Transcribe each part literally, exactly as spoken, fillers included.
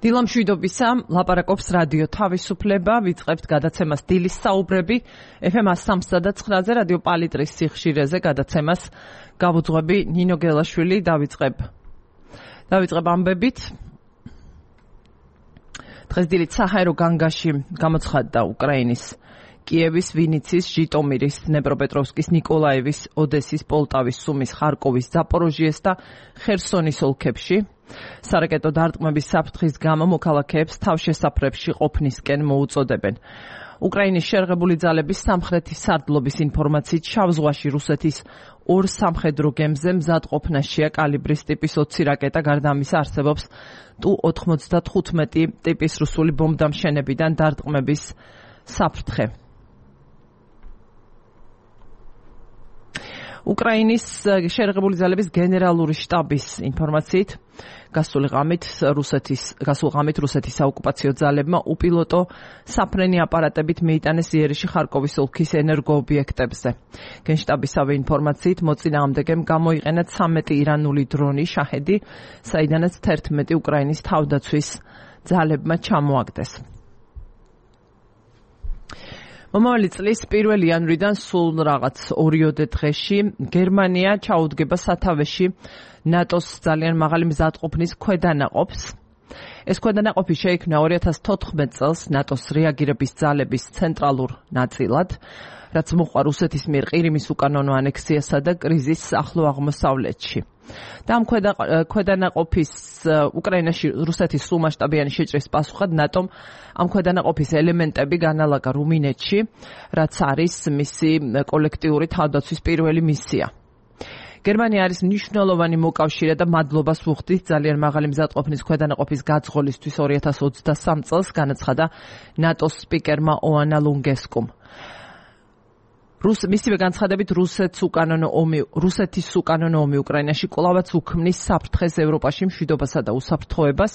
დილამშვიდობისა, ლაპარაკობს რადიო თავისუფლება, ვიწყებთ გადაცემას დილის საუბრები, ეფ ემ სამსა და ცხრაზე რადიო პალიტრის სიხშირეზე გადაცემას გავუძღვები ნინო გელაშვილი, დავიწყებ. დავიწყებ ამბებით. დღეს დილით საჰაერო განგაში გამოცხადდა უკრაინის კიევის, ვინიცის, ჟიტომირის, დნეპროპეტროვსკის, ნიკოლაევის, ოდესის, პოლტავის, სუმის, ხარკოვის, ზაპოროჟიეს და ხერსონის ოლქებში. სარაკეტო დარტყმების საფრთხის გამო მოქალაქეებს თავშესაფრებში ყოფნისკენ მოუწოდებენ. უკრაინის შერღებული ძალების სამხრეთის სარდლობის ინფორმაციით შავ ზღვაში რუსეთის ორ სამხედრო გემზე მზადყოფნაშია კალიბრის ტიპის ოცი რაკეტა, გარდა ამისა არსებობს ტუ ოთხმოცდათხუთმეტი ტიპის რუსული ბომბდამშენებიდან დარტყმების საფრთხე. უკრაინის შერღებული ძალების გენერალური შტაბის ინფორმაციით გასული ღამით რუსეთის გასულ ღამით რუსეთის საოკუპაციო ძალებმა უპილოტო საფრენი აპარატებით მიიტანეს იერიში ხარკოვის ოლქის ენერგოობიექტებზე. გენშტაბისავე ინფორმაციით მოწინააღმდეგემ გამოიყენა ცამეტი ირანული დრონი შაჰედი, საიდანაც თერთმეტი უკრაინის თავდაცვის ძალებმა ჩამოაგდეს. მომავალი წლის პირველი იანვრიდან სულ რაღაც ორიოდე დღეში გერმანია ჩაუდგება სათავეში ნატოს ძალიან მაღალი მზადყოფნის ქვედანაყოფს. ეს ქვედანაყოფი შეიქმნა ორი ათას თოთხმეტ წელს ნატოს რეაგირების ძალების ცენტრალურ ნაწილად, რაც მოყვა რუსეთის მიერ ყირიმის უკანონო ანექსიასა და კრიზისს ახლო აღმოსავლეთში. და ამ ქვედანაყოფის უკრაინაში რუსეთის სრულმასშტაბიანი შეჭრის პასუხად ნატომ ამ ქვედანაყოფის ელემენტები განალაგა რუმინეთში, რაც არის მისი კოლექტიური თავდაცვის პირველი მისია. გერმანია არის მნიშვნელოვანი მოკავშირე და მადლობას ვუხდით ძალიან მაღალი მზადყოფნის ქვედანაყოფის გაძღოლისთვის ორი ათას ოცდასამ წელს, განაცხადა ნატოს სპიკერმა ოანა ლუნგესკუმ. რუს მისივე განცხადებით რუსეთს უკანონო ომი რუსეთის უკანონო ომი უკრაინაში კვლავაც უქმნის საფრთხეს ევროპაში მშვიდობასა და უსაფრთხოებას.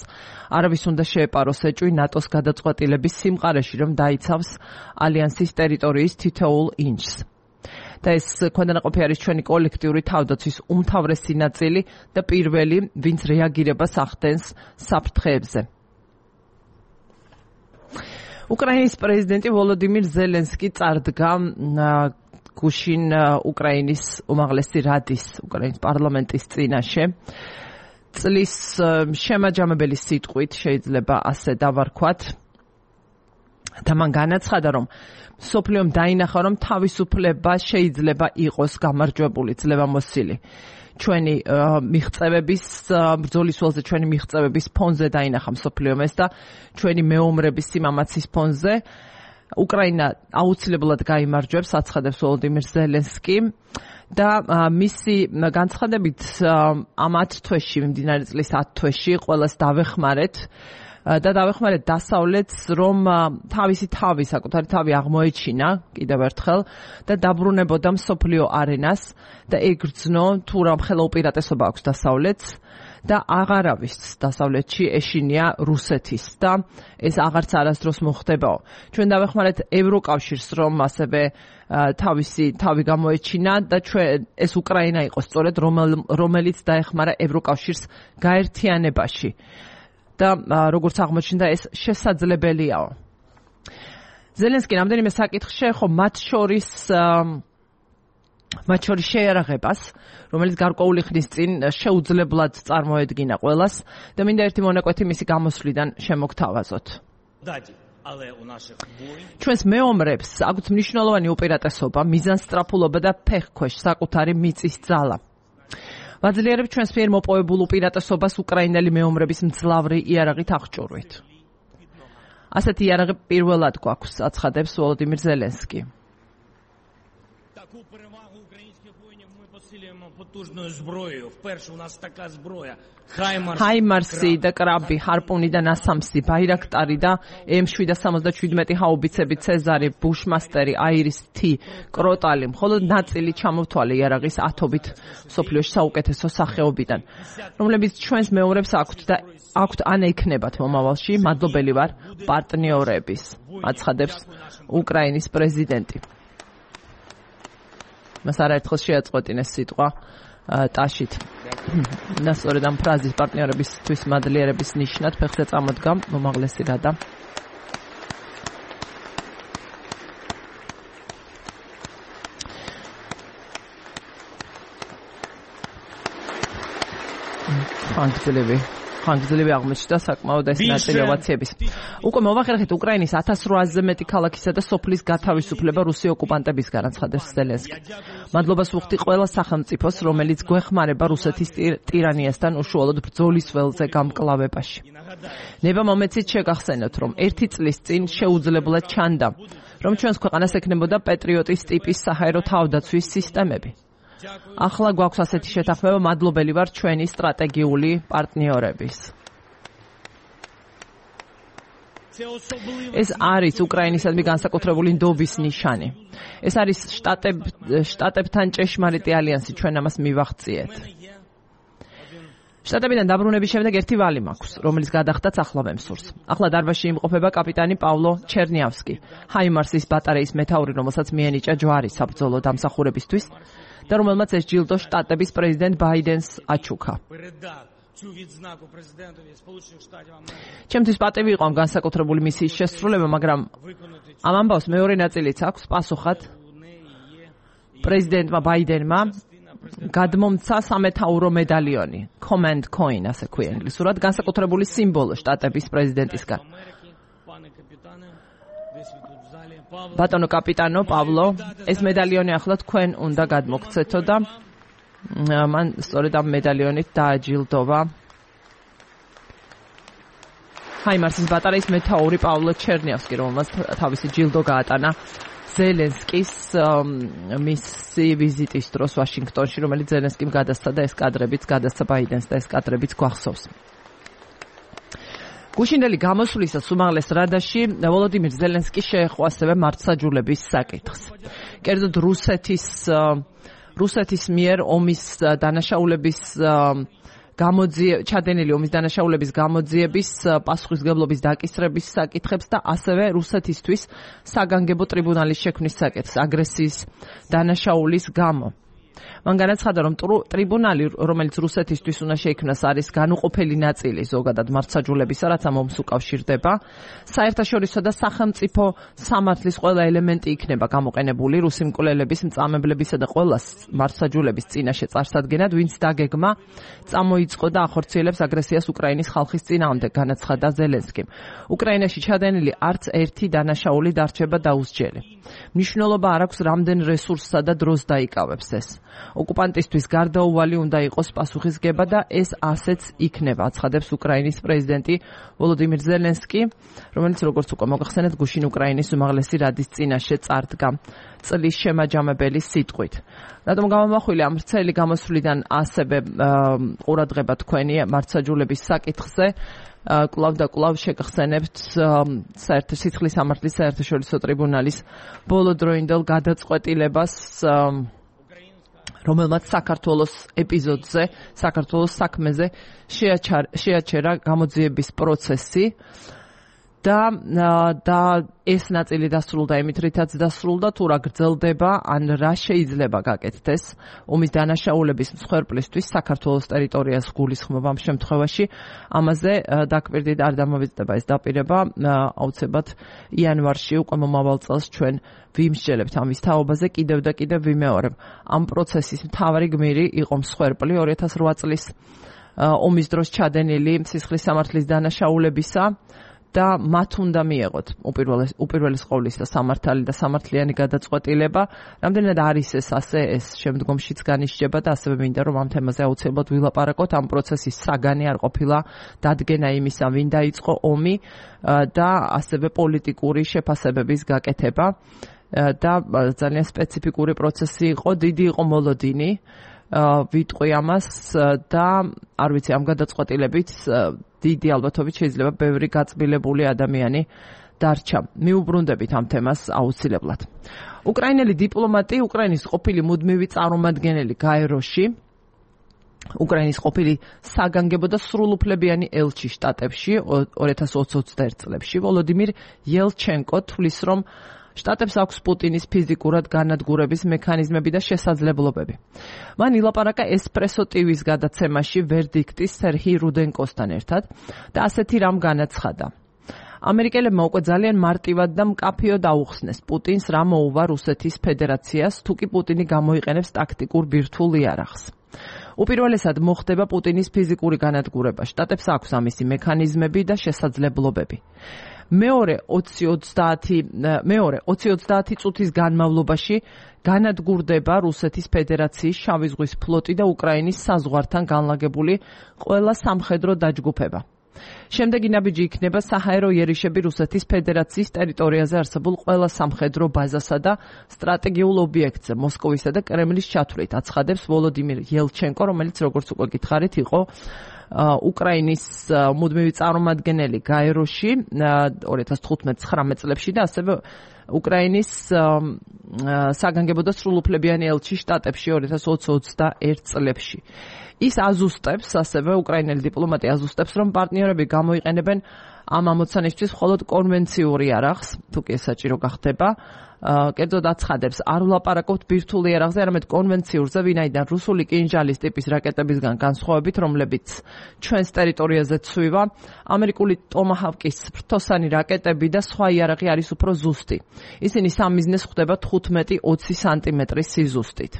არავის უნდა შეეპაროს ეჭვი ნატოს გადაწყვეტილების სიმყარეში, რომ დაიცავს ალიანსის ტერიტორიის თითოეულ ინჩს. და ეს ქვედანაყოფი არის ჩვენი კოლექტიური თავდაცვის უმთავრესი ნაწილი და პირველი, ვინც რეაგირებას ახდენს საფრთხეებზე. უკრაინის პრეზიდენტი ვოლოდიმირ ზელენსკი წარდგა გუშინ უკრაინის უმაღლესი რადის, უკრაინის პარლამენტის წინაშე. წლის შემაჯამებელი სიტყვით შეიძლება ასე დავარქვათ. და მან განაცხადა, რომ მსოფლიომ დაინახა, რომ თავისუფლება შეიძლება იყოს გამარჯვებული, ძლევამოსილი. ჩვენი მიღწევების ბრძოლის ველზე ჩვენი მიღწევების ფონზე დაინახა მსოფლიომ ეს და ჩვენი მეომრების სიმამაცის ფონზე უკრაინა აუცილებლად გაიმარჯვებს, აცხადებს ვოლოდიმირ ზელენსკი და მისი განცხადებით ამ ათ თვეში, მიმდინარე წლის ათ თვეში ყველას დავეხმარეთ და დავეხმარეთ დასავლეთს, რომ თავისი თავი, საკუთარი თავი აღმოეჩინა კიდევ ერთხელ და დაბრუნებოდა მსოფლიო არენას და ეგრძნო თუ რამ ხელა უპირატესობა აქვს დასავლეთს და აღარავის დასავლეთში ეშინია რუსეთის და ეს აღარც არასდროს მოხდებაო. ჩვენ დავეხმარეთ ევროკავშირს, რომ ასევე თავისი თავი გამოეჩინა და ჩვენ ეს უკრაინა იყო სწორედ რომელიც დაეხმარა ევროკავშირს გაერთიანებაში. და როგორც აღმოჩნდა ეს შესაძლებელიაო. ზელენსკი რამდენიმე საკითხს შეეხო მათ შორის მათ შორის შეიარაღებას, რომელიც გარკვეული ხნის წინ შეუძლებლად წარმოედგინა ყველას და მინდა ერთი მონაკვეთი მისი გამოსვლიდან შემოგთავაზოთ. ჩვენს მეომრებს აქვთ მნიშვნელოვანი უპირატესობა, მიზანსწრაფულობა და ფეხქვეშ საკუთარი მიწის ძალა. ვაძლიერებ ჩვენს მიერ მოპოვებულ უპირატესობას უკრაინელი მეომრების მძლავრი იარაღით აღჭურვით. ასეთი იარაღი პირველად გვაქვს, აცხადებს ვოლოდიმირ ზელენსკი. ჰაიმარსი და კრაბი, ჰარპუნი და ნასამსი, ბაირაქტარი და ემ შვიდ სამოცდაშვიდმეტი ჰაუბიცები, ცეზარი, ბუშმასტერი, აირის თი, კროტალი, მხოლოდ ნაწილი ჩამოვთვალე იარაღის ათობით მსოფლიოში საუკეთესო სახეობიდან, რომლებიც ჩვენს მეომრებს აქვთ და აქვთ ან ექნებათ მომავალში. მადლობელი ვარ პარტნიორების, აცხადებს უკრაინის პრეზიდენტი. მას არაერთხელ შეაწყვეტინეს სიტყვა ტაშით. და სწორედ ამ ფრაზის პარტნიორებისთვის მადლიერების ნიშნად ფეხზე წამოდგა უმაღლესი რადა. ხანგრძლივი ხანგრძლივი აღმოჩნდა საკმაოდ ეს ნაწილი ოვაციების. უკვე მოვახერხეთ უკრაინის ათას რვაასზე მეტი ქალაქისა და სოფლის გათავისუფლება რუსი ოკუპანტებისგან, ცხადებს ზელენსკი. მადლობას ვუხდი ყველა სახელმწიფოს, რომელიც გვეხმარება რუსეთის ტირანიასთან უშუალოდ ბრძოლის ველზე გამკლავებაში. ნება მომეცით შეგახსენოთ, რომ ერთი წლის წინ შეუძლებლად ჩანდა, რომ ჩვენს ქვეყანას ექნებოდა პეტრიოტის ტიპის საჰაერო თავდაცვის სისტემები. ახლა გვაქვს ასეთი შეთანხმება, მადლობელი ვარ ჩვენი სტრატეგიული პარტნიორების. ეს არის უკრაინისადმი განსაკუთრებული ნდობის ნიშანი. ეს არის შტატებ შტატებთან ჭეშმარიტი ალიანსი, ჩვენ ამას მივახციეთ. შტატებიდან დაბრუნების შემდეგ ერთი ვალი მაქვს, რომელიც გადახდაც ახლა ვემსურს. ახლა დარბაზში იმყოფება კაპიტანი პავლო ჩერნიავსკი, ჰაიმარსის ბატარეის მეთაური, რომელსაც მიენიჭა ჯვარი საბრძოლო დამსახურებისთვის და რომელმაც ეს ჯილდო შტატების პრეზიდენტ ბაიდენს აჩუქა. ჩემთვის პატივი იყო ამ განსაკუთრებული მისიის შესრულება, მაგრამ ამ ამბავს მეორე ნაწილიც აქვს პასუხად პრეზიდენტმა ბაიდენმა გადმომცა სამეთაურო მედალიონი, command coin, ასე ქვია ინგლისურად, განსაკუთრებული სიმბოლო შტატების პრეზიდენტისგან. ბატონო კაპიტანო პავლო, ეს მედალიონი ახლა თქვენ უნდა გადმოგცეთო და მან სწორედ ამ მედალიონით დააჯილდოვა ჰაიმარსის ბატარეის მეთაური პავლო ჩერნიავსკი, რომელმაც თავისი ჯილდო გაატანა ზელენსკის მისი ვიზიტის დროს ვაშინგტონში, რომელიც ზელენსკიმ გადასცა და ეს კადრებიც გადასცა ბაიდენს და ეს კადრებიც გვახსოვს. გუშინდელი გამოსვლისას უმაღლეს რადაში ვოლოდიმირ ზელენსკი შეეხო ასევე მართლმსაჯულების საკითხს. კერძოდ რუსეთის რუსეთის მიერ ომის დანაშაულების გამოძიების ჩადენილი ომის დანაშაულების გამოძიების პასუხისმგებლობის დაკისრების საკითხებს და ასევე რუსეთისთვის საგანგებო ტრიბუნალის შექმნის საკითხს აგრესიის დანაშაულის გამო. მან განაცხადა, რომ ტრიბუნალი, რომელიც რუსეთისთვის უნდა შეიქმნას, არის განუყოფელი ნაწილი ზოგადად მართლმსაჯულებისა, რაც ამ ომს უკავშირდება. საერთაშორისო და სახელმწიფო სამართლის ყველა ელემენტი იქნება გამოყენებული რუსი მკვლელების, მწამებლებისა და ყველა მართლმსაჯულების წინაშე წარსადგენად, ვინც დაგეგმა წამოიწყო და ახორციელებს აგრესიას უკრაინის ხალხის წინააღმდეგ, განაცხადა ზელენსკიმ. უკრაინაში ჩადენილი არც ერთი დანაშაული დარჩება დაუსჯელი. მნიშვნელობა არ აქვს, რამდენ რესურსსა და დროს დაიკავებს ეს. ოკუპანტისთვის გარდაუვალი უნდა იყოს პასუხისგება და ეს ასეც იქნება, აცხადებს უკრაინის პრეზიდენტი ვოლოდიმირ ზელენსკი, რომელიც როგორც უკვე მოგახსენეთ, გუშინ უკრაინის უმაღლესი რადის წინაშე წარდგა წლის შემაჯამებელი სიტყვით. რატომ გამომახვილე ამ ვრცელი გამოსვლიდან ასევე ყურადღება თქვენი მართლმსაჯულების საკითხზე, კლავ და კლავ შეგახსენებთ საერთაშორისო სამართლის საერთაშორისო ტრიბუნალის ბოლოდროინდელ გადაწყვეტილებას, რომელმაც საქართველოს ეპიზოდზე, საქართველოს საქმეზე შეაჩერა გამოძიების პროცესი და და ეს ნაწილი დასრულდა იმით, რითაც დასრულდა, თუ რა გრძელდება, ან რა შეიძლება გაკეთდეს ომის დანაშაულების მსხვერპლისთვის საქართველოს ტერიტორიას გულისხმობა ამ შემთხვევაში. ამაზე დაკვირდით არ დამოვიწყდება ეს დაპირება, აუცილებლად იანვარში უკვე მომავალ წელს ჩვენ ვიმსჯელებთ ამის თაობაზე, კიდევ და კიდევ ვიმეორებ. ამ პროცესის მთავარი გმირი იყო მსხვერპლი ორი ათას რვა წლის ომის დროს ჩადენილი სისხლის სამართლის დანაშაულებისა და მათ უნდა მიეღოთ უპირველეს უპირველეს ყოვლისა სამართალი და სამართლიანი გადაწყვეტილება. რამდენად არის ეს ასე, ეს შემდგომშიც განისჯება და ასევე მინდა რომ ამ თემაზე აუცილებლად ვილაპარაკოთ. ამ პროცესის საგანი არ ყოფილა დადგენა იმისა, ვინ დაიწყო ომი და ასევე პოლიტიკური შეფასებების გაკეთება და ძალიან სპეციფიკური პროცესი იყო, დიდი იყო მოლოდინი. ვიტყვი ამას და არ ვიცი ამ გადაწყვეტილებით დიდი ალბათობით შეიძლება ბევრი გაწმილებული ადამიანი დარჩა. მიუბრუნდებით ამ თემას აუცილებლად. უკრაინელი დიპლომატი, უკრაინის ყოფილი მუდმივი წარმომადგენელი გაეროში, უკრაინის ყოფილი საგანგებო და სრულუფლებიანი ელჩი შტატებში ორი ათას ოცდაერთი წლებში, ვოლოდიმირ იელჩენკო თვლის, რომ შტატებს აქვს პუტინის ფიზიკურად განადგურების მექანიზმები და შესაძლებლობები. მან ილაპარაკა ესპრესო ტივის გადაცემაში ვერდიქტის სერჰი რუდენკოსთან ერთად და ასეთი რამ განაცხადა. ამერიკელებმა უკვე ძალიან მარტივად და მკაფიოდ აუხსნეს პუტინს რა მოუვა რუსეთის ფედერაციას, თუ კი პუტინი გამოიყენებს ტაქტიკურ ბირთვულ იარაღს. უპირველესად მოხდება პუტინის ფიზიკური განადგურება. შტატებს აქვს ამისი მექანიზმები და შესაძლებლობები. მეორე ოცი ოცდაათი წუთის განმავლობაში განადგურდება რუსეთის ფედერაციის შავი ზღვის ფლოტი და უკრაინის საზღვართან განლაგებული ყველა სამხედრო დაჯგუფება. შემდეგი ნაბიჯი იქნება საჰაერო იერიშები რუსეთის ფედერაციის ტერიტორიაზე არსებულ ყველა სამხედრო ბაზასა და სტრატეგიულ ობიექტზე მოსკოვისა და კრემლის ჩათვლით, აცხადებს ვოლოდიმირ ელჩენკო, რომელიც როგორც უკვე გითხარით იყო უკრაინის მუდმივი წარმომადგენელი გაეროში ორი ათას თხუთმეტ ცხრამეტ წლებში და ასევე უკრაინის საგანგებო და სრულუფლებიანი ელჩი შტატებში ორი ათას ოცი ოცდაერთ წლებში. ის აზუსტებს, ასევე უკრაინელი დიპლომატი აზუსტებს, რომ პარტნიორები გამოიყენებენ ამ ამოცანისთვის მხოლოდ კონვენციურ იარაღს, თუ კი ეს საჭირო გახდება. კერძოდ აცხადებს, არ ვლაპარაკობთ ბირთვულ იარაღზე, არამედ კონვენციურზე, ვინაიდან რუსული კინჟალის ტიპის რაკეტებისგან განსხვავებით, რომლებიც ჩვენს ტერიტორიაზე ცვივა, ამერიკული ტომაჰავკის ფრთოსანი რაკეტები და სხვა იარაღი არის უფრო ზუსტი. ისინი სამიზნეს ხვდება თხუთმეტი ოცი სანტიმეტრის სიზუსტით.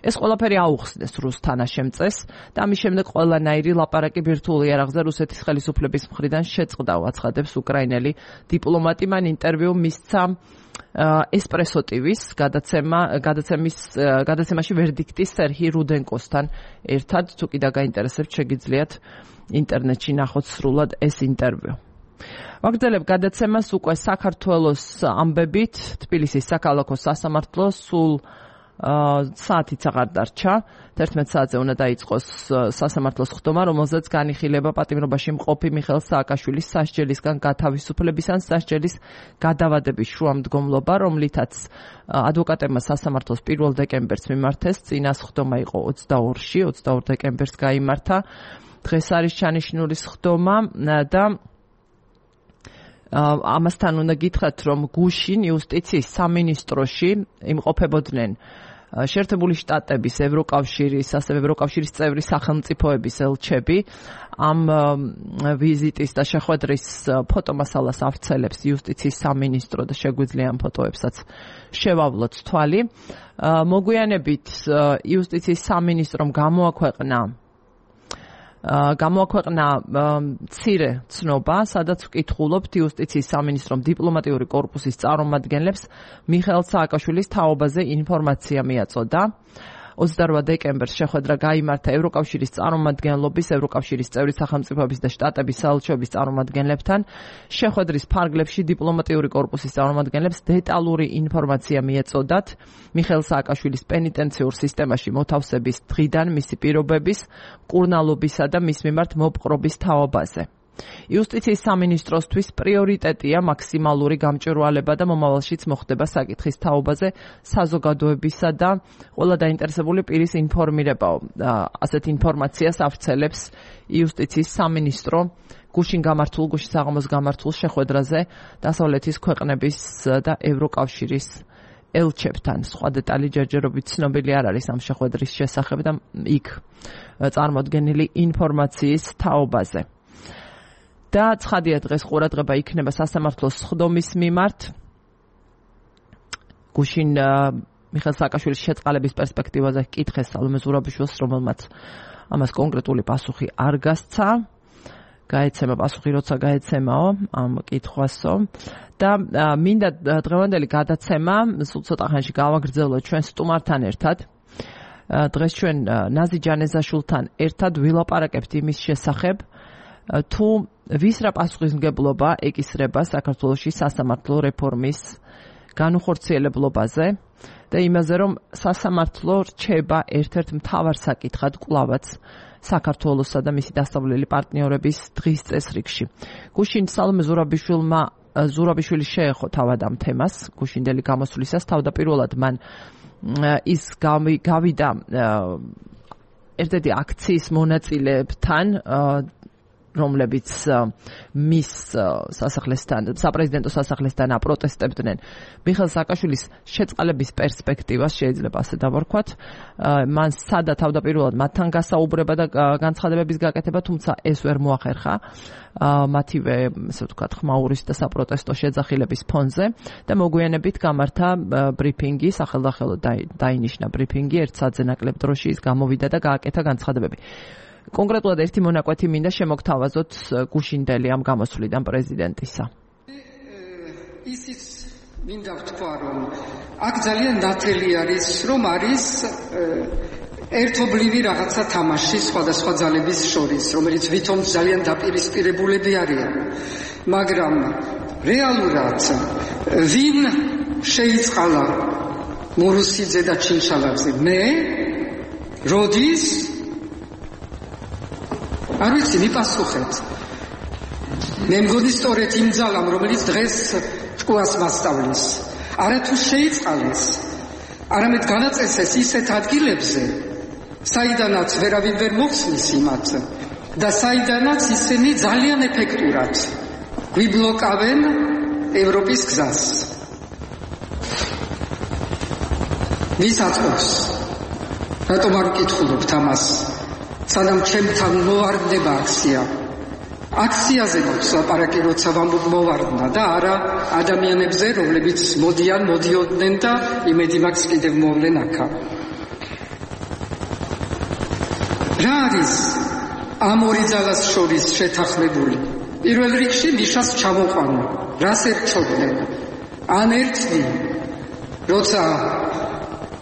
ეს ყველაფერი აუხსნეს რუს თანაშემწეს და ამის შემდეგ ყველანაირი ლაპარაკი ბირთვულ იარაღზე რუსეთის ხელისუფლების მხრიდან შეწყდა, აცხადებს უკრაინელი დიპლომატი. მან ინტერვიუ მისცა ესპრესო ტივის გადაცემა გადაცემის გადაცემაში ვერდიქტის სერჰი რუდენკოსთან ერთად, თუ კი დაგაინტერესებთ, შეგიძლიათ ინტერნეტში ნახოთ სრულად ეს ინტერვიუ. ვაგრძელებ გადაცემას უკვე საქართველოს ამბებით. თბილისის საქალაქო სასამართლო სულ საათიც აღარ დარჩა. თერთმეტ საათზე უნდა დაიწყოს სასამართლოს ხდომა, რომელზეც განიხილება პატიმრობაში მყოფი მიხეილ სააკაშვილის სასჯელისგან გათავისუფლების ან სასჯელის გადავადების შუამდგომლობა, რომლითაც ადვოკატებმა სასამართლოს პირველ დეკემბერს მიმართეს. წინას ხდომა იყო ოცდაორში, ოცდაორ დეკემბერს გაიმართა. დღეს არის ჩანიშნულის ხდომა და ამასთან უნდა გითხრათ, რომ გუშინ იუსტიციის სამინისტროში იმყოფებოდნენ შეერთებული შტატების, ევროკავშირის, ასევე ევროკავშირის წევრი სახელმწიფოების ელჩები. ამ ვიზიტის და შეხვედრის ფოტომასალას ავრცელებს იუსტიციის სამინისტრო და შეგვიძლია ამ ფოტოებსაც შევავლოთ თვალი. მოგვიანებით იუსტიციის სამინისტრომ გამოაქვეყნა გამოაქვეყნა მცირე ცნობა, სადაც ვკითხულობთ იუსტიციის სამინისტრომ დიპლომატიური კორპუსის წარმომადგენლებს მიხეილ სააკაშვილის თაობაზე ინფორმაცია მიაწოდა. ოცდარვა დეკემბერს შეხვედრა გაიმართა ევროკავშირის წარმომადგენლობის, ევროკავშირის წევრი სახელმწიფოების და შტატების საელჩოების წარმომადგენლებთან. შეხვედრის ფარგლებში დიპლომატიური კორპუსის წარმომადგენლებს დეტალური ინფორმაცია მიეწოდათ მიხეილ სააკაშვილის პენიტენციურ სისტემაში მოთავსების დღიდან, მისი პირობების, მკურნალობისა და მის მიმართ მოპყრობის თაობაზე. იუსტიციის სამინისტროსთვის პრიორიტეტია მაქსიმალური გამჭვირვალება და მომავალშიც მოხდება საკითხის თაობაზე საზოგადოებისა და ყველა დაინტერესებული პირის ინფორმირებაო. ასეთ ინფორმაციას ავრცელებს იუსტიციის სამინისტრო გუშინ გამართულ, გუშინ საღამოს გამართულ შეხვედრაზე დასავლეთის ქვეყნების და ევროკავშირის ელჩებთან. სხვა დეტალი ჯერჯერობით ცნობილი არ არის ამ შეხვედრის შესახებ და იქ წარმოდგენილი ინფორმაციის თაობაზე. და ცხადია, დღეს ყურადღება იქნება სასამართლოს სხდომის მიმართ. გუშინ მიხეილ სააკაშვილის შეწყალების პერსპექტივაზე კითხეს სალომე ზურაბიშვილს, რომელმაც ამას კონკრეტული პასუხი არ გასცა. გაეცემა პასუხი, როცა გაეცემაო ამ კითხვასო. და მინდა დღევანდელი გადაცემა სულ ცოტა ხანში გავაგრძელოთ ჩვენ სტუმართან ერთად. დღეს ჩვენ ნაზი ჯანეზაშვილთან ერთად ვილაპარაკებთ იმის შესახებ, თუ ვის რა პასუხისმგებლობა ეკისრება საქართველოში სასამართლო რეფორმის განუხორციელებლობაზე და იმაზე, რომ სასამართლო რჩება ერთ-ერთ მთავარ საკითხად კვლავაც საქართველოსა და მისი დასავლელი პარტნიორების დღის წესრიგში. გუშინ სალომე ზურაბიშვილმა ზურაბიშვილი შეეხო თავად ამ თემას, გუშინდელი გამოსვლისას. თავდაპირველად მან ის გავიდა ერთ-ერთი აქციის მონაწილეებთან რომლებიც მის სასახლესთან, საპრეზიდენტო სასახლესთან აპროტესტებდნენ მიხეილ სააკაშვილის შეწყალების პერსპექტივას, შეიძლება ასე დავარქვათ. მან სადა თავდაპირველად მათთან გასაუბრება და განცხადებების გაკეთება, თუმცა ეს ვერ მოახერხა მათივე, ასე ვთქვათ, ხმაურის და საპროტესტო შეძახილების ფონზე და მოგვიანებით გამართა ბრიფინგი, სახელდახელოდ დაინიშნა ბრიფინგი, ერთ საათზე ნაკლებ დროში ის გამოვიდა და გააკეთა განცხადებები. კონკრეტულად ერთი მონაკვეთი მინდა შემოგთავაზოთ გუშინდელი ამ გამოსვლიდან პრეზიდენტისა. ისიც მინდა ვთქვა, რომ აქ ძალიან ნათელი არის, რომ არის ერთობლივი რაღაცა თამაში სხვადასხვა ძალების შორის, რომელიც ვითომ ძალიან დაპირისპირებულები არიან. მაგრამ რეალურად ვინ შეიწყალა მურუსიძე და ჩინჩალაძე? მე? როდის? არ ვიცი, მიპასუხეთ. მე მგონი სწორედ იმ ძალამ, რომელიც დღეს ჭკუას მასწავლის, არათუ შეიწყალეს, არამედ განაწესეს ისეთ ადგილებზე, საიდანაც ვერავინ ვერ მოხსნის იმათ და საიდანაც ისინი ძალიან ეფექტურად გვიბლოკავენ ევროპის გზას. ვის აწყობს? რატომ არ ვკითხულობთ ამას? სანამ ჩემთან მოვარდება აქცია. აქციაზე მოხდა ლაპარაკი, როცა ვამბობ მოვარდნა და არა ადამიანებზე, რომლებიც მოდიან, მოდიოდნენ და იმედი მაქვს კიდევ მოვლენ აქა. რა არის ამ ორი ძალას შორის შეთანხმებული? პირველ რიგში მიშას ჩამოყვანა. რას ერჩოდნენ? ან ერთნი, როცა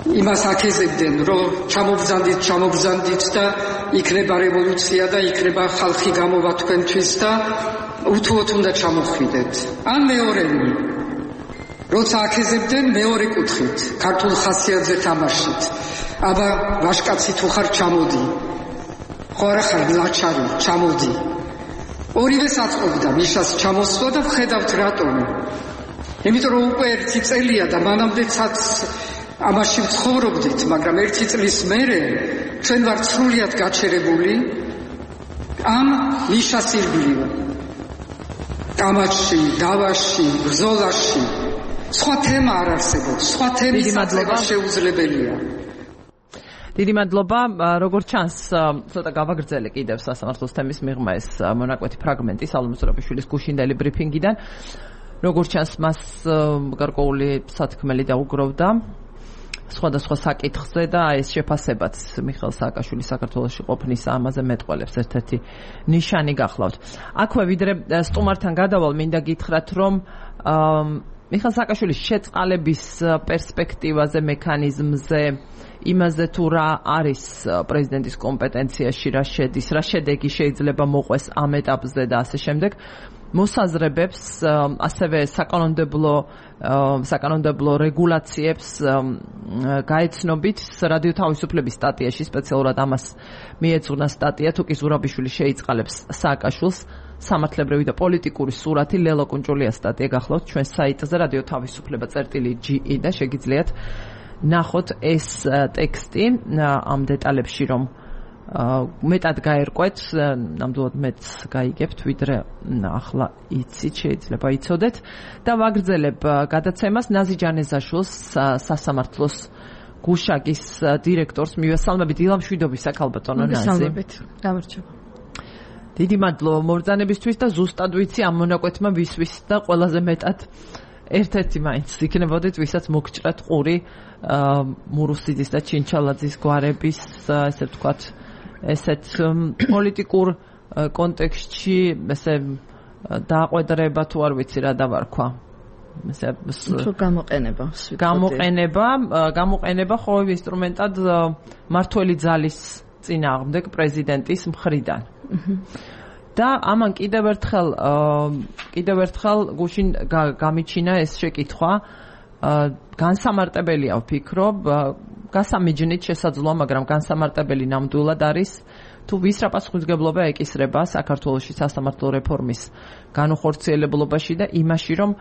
იმას აკეზებდნენ, რომ ჩამობრძანდით, ჩამობრძანდით და იქნება რევოლუცია და იქნება ხალხი გამოვა თქვენთვის და უთუოდ უნდა ჩამოხვიდეთ. ან მეორენი, როცა აკეზებდნენ მეორე კუთხით, ქართულ ხასიათზე თამაშით. აბა ვაშკაცი თუ ხარ ჩამოდი. ხო არა ხარ ლაჩარი, ჩამოდი. ორივეს აწყობდა მიშას ჩამოსვლა და ვხედავთ რატომ. იმიტომ რომ უკვე ერთი წელია და მანამდეცაც ამაში ვცხოვრობდით, მაგრამ ერთი წლის მერე ჩვენ ვართ სრულიად გაჩერებული ამ მიშას ირგვლივ. კამათში, დავაში, ბრძოლაში სხვა თემა არ არსებობს, სხვა თემის აწევა შეუძლებელია. დიდი მადლობა. როგორც ჩანს, ცოტა გავაგრძელე კიდევ სასამართლოს თემის მიღმა ეს მონაკვეთი ფრაგმენტი სალომე ზურაბიშვილის გუშინდელი ბრიფინგიდან. როგორც ჩანს, მას გარკვეული სათქმელი დაუგროვდა სხვადასხვა საკითხზე და ეს შეფასებაც მიხეილ სააკაშვილის საქართველოში ყოფნის ამაზე მეტყველებს ერთ-ერთი ნიშანი გახლავთ. აქვე ვიდრე სტუმართან გადავალ, მინდა გითხრათ, რომ მიხეილ სააკაშვილის შეწყალების პერსპექტივაზე, მექანიზმზე, იმაზე თუ რა არის პრეზიდენტის კომპეტენციაში, რა შედის, რა შედეგი შეიძლება მოყვეს ამ ეტაპზე და ასე შემდეგ. მოსაზრებებს, ასევე საკანონმდებლო საკანონმდებლო რეგულაციებს გაეცნობით რადიო თავისუფლების სტატიაში, სპეციალურად ამას მიეძღვნა სტატია, თუ კი ზურაბიშვილი შეიწყალებს სააკაშვილს, სამართლებრივი და პოლიტიკური სურათი, ლელო კუნჭულია სტატია გახლავთ ჩვენ საიტზე რადიო თავისუფლება წერტილი ჯი ი და შეგიძლიათ ნახოთ ეს ტექსტი ამ დეტალებში, რომ მეტად გაერკვეთ, ნამდვილად მეც გაიგებთ, ვიდრე ახლა იცით, შეიძლება იცოდეთ და ვაგრძელებ გადაცემას. ნაზი ჯანეზაშვილს, სასამართლოს გუშაგის დირექტორს მივესალმებით. დილამშვიდობის საქალბატონო ნაზი. მოგესალმებით. გამარჯობა. დიდი მადლობა მობრძანებისთვის და ზუსტად ვიცი ამ მონაკვეთმა ვისვის და ყველაზე მეტად ერთ-ერთი მაინც იქნებოდეთ, ვისაც მოგჭრათ ყური მურუსიძის და ჩინჩალაძის გვარების, ესე ვთქვათ, ესეთ პოლიტიკურ კონტექსტში, ესე დააყვედრება თუ არ ვიცი რა დავარქვა. ესე გამოყენება. გამოყენება, გამოყენება ხო ინსტრუმენტად მართველი ძალის წინააღმდეგ პრეზიდენტის მხრიდან. და ამან კიდევ ერთხელ კიდევ ერთხელ გუშინ გამიჩინა ეს შეკითხვა, განსამარტებელია ვფიქრობ, გასამიჯნით შესაძლოა, მაგრამ განსამარტებელი ნამდვილად არის თუ ვის რა პასუხისმგებლობა ეკისრება საქართველოში სასამართლო რეფორმის განუხორციელებულობაში და იმაში, რომ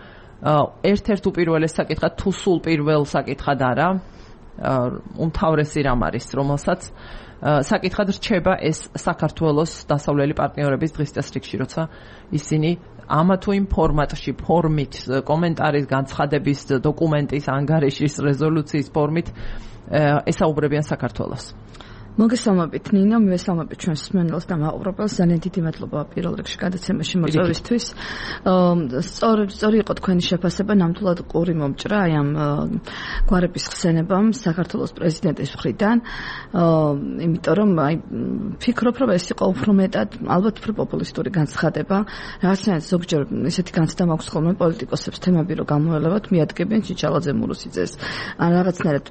ერთ-ერთ უპირველეს საკითხად თუ სულ პირველ საკითხად არა უმთავრესი რამ არის, რომელსაც საკითხად რჩება ეს საქართველოს დასავლელი პარტნიორების დღის წესრიგში, როცა ისინი ამა თუ იმ ფორმატში, ფორმით, კომენტარის, განცხადების, დოკუმენტის, ანგარიშის, რეზოლუციის ფორმით ესაუბრებიან საქართველოს. მოგესალმებით ნინო, მივესალმებით ჩვენს მსმენელს და მაყურებელს. ძალიან დიდი მადლობა პირველ რიგში გადაცემაში მოწვევისთვის. სწორი სწორი იყო თქვენი შეფასება, ნამდვილად ყური მომჭრა აი ამ გვარების ხსენებამ საქართველოს პრეზიდენტის მხრიდან. იმიტომ რომ აი ფიქრობ, რომ ეს იყო უფრო მეტად ალბათ უფრო პოპულისტური განცხადება. რაღაცნაირად ზოგჯერ ესეთი განცდა მაქვს ხოლმე პოლიტიკოსებს თემები რომ გამოელევათ, მიადგებენ ჩიჩალაძე მურუსიძეს. ან რაღაცნაირად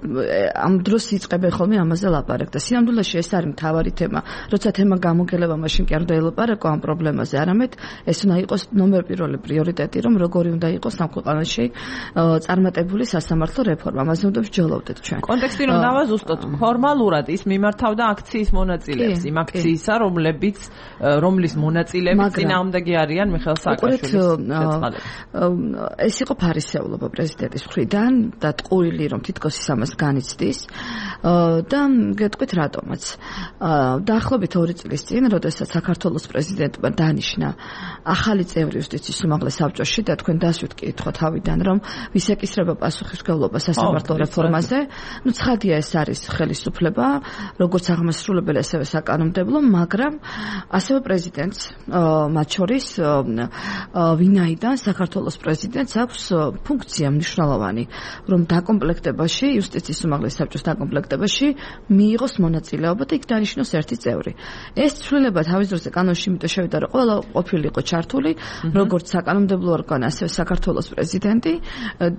ამ დროს იწყებენ ხოლმე ამაზე ლაპარაკ და სინამდვილეში ეს არის მთავარი თემა. როცა თემა გამოგელება, მაშინ კი არ უნდა ელაპარაკო ამ პრობლემაზე, არამედ ეს უნდა იყოს ნომერ პირველი პრიორიტეტი, რომ როგორი უნდა იყოს ამ ქვეყანაში წარმატებული სასამართლო რეფორმა. ამაზე უნდა ვსჯელოვდეთ ჩვენ. კონტექსტი რომ დავაზუსტოთ, ფორმალურად ის მიმართავდა აქციის მონაწილეებს, იმ აქციისა, რომლებიც რომლის მონაწილეები წინააღმდეგი არიან მიხეილ სააკაშვილის შეწყალებით. ეს იყო ფარისეულობა პრეზიდენტის მხრიდან და ტყუილი რომ თითქოს ის ამას განიცდის და გეტყვით რატომ დაახლოებით ორი წლის წინ, როდესაც საქართველოს პრეზიდენტმა დანიშნა ახალი წევრი იუსტიციის უმაღლეს საბჭოში და თქვენ დასვით კითხვა თავიდან, რომ ვის ეკისრება პასუხისმგებლობა სასამართლო რეფორმაზე, ну ცხადია ეს არის ხელისუფლება, როგორც აღმასრულებელი, ასევე საკანონმდებლო, მაგრამ ასევე პრეზიდენტს, მათ შორის ვინაიდან საქართველოს პრეზიდენტს აქვს ფუნქცია მნიშვნელოვანი, რომ დაკომპლექტებაში, იუსტიციის უმაღლეს საბჭოს დაკომპლექტებაში მიიღოს მონაწილეობა და იქ დანიშნოს ერთი წევრი. ეს ცვლილება თავის დროზე კანონში იმიტომ შევიდა, რომ ყველა ყოფილიყო ჩართული, როგორც საკანონმდებლო ორგანო, ასევე საქართველოს პრეზიდენტი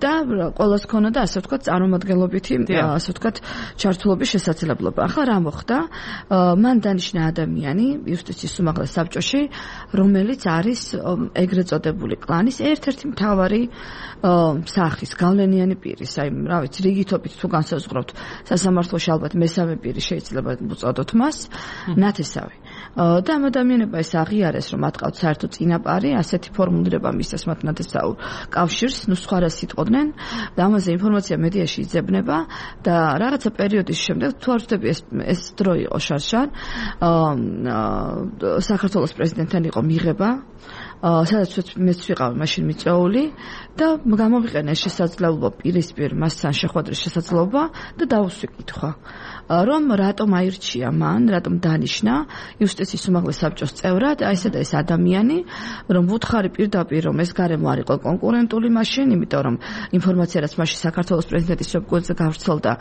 და ყველას ქონოდა, ასე ვთქვათ, წარმომადგენლობითი, ასე ვთქვათ, ჩართულობის შესაძლებლობა. ახლა რა მოხდა? მან დანიშნა ადამიანი იუსტიციის უმაღლეს საბჭოში, რომელიც არის ეგრეთ წოდებული კლანის ერთ-ერთი მთავარი სახის, გავლენიანი პირის, აი, რა ვიცი, რიგითობით თუ განსაზღვრავთ, სასამართლოში ალბათ მესამე პირი შეიძლება უწოდოთ მას, ნათესავი. და ამ ადამიანებმა ეს აღიარეს, რომ მათ ყავთ საერთო წინაპარი, ასეთი ფორმულირება მისცეს მათ ნათესაურ კავშირს, ნუ სხვა რას იტყოდნენ და ამაზე ინფორმაცია მედიაში იძებნება და რაღაცა პერიოდის შემდეგ თუ არ ვთქვი ეს ეს დრო იყო შარშან, საქართველოს პრეზიდენტთან იყო მიღება, სადაც მეც ვიყავ მაშინ მიწვეული და გამოვიყენე შესაძლებლობა პირისპირ მასთან შეხვედრის შესაძლებლობა და დავუსვი კითხვა. რომ რატომ აირჩია მან, რატომ დანიშნა იუსტიციის უმაღლეს საბჭოს წევრად ესა და ეს ადამიანი, რომ ვუთხარი პირდაპირ, რომ ეს გარემო არ იყო კონკურენტული მაშინ, იმიტომ რომ ინფორმაცია რაც მაშინ საქართველოს პრეზიდენტის ვებგვერდზე გავრცელდა,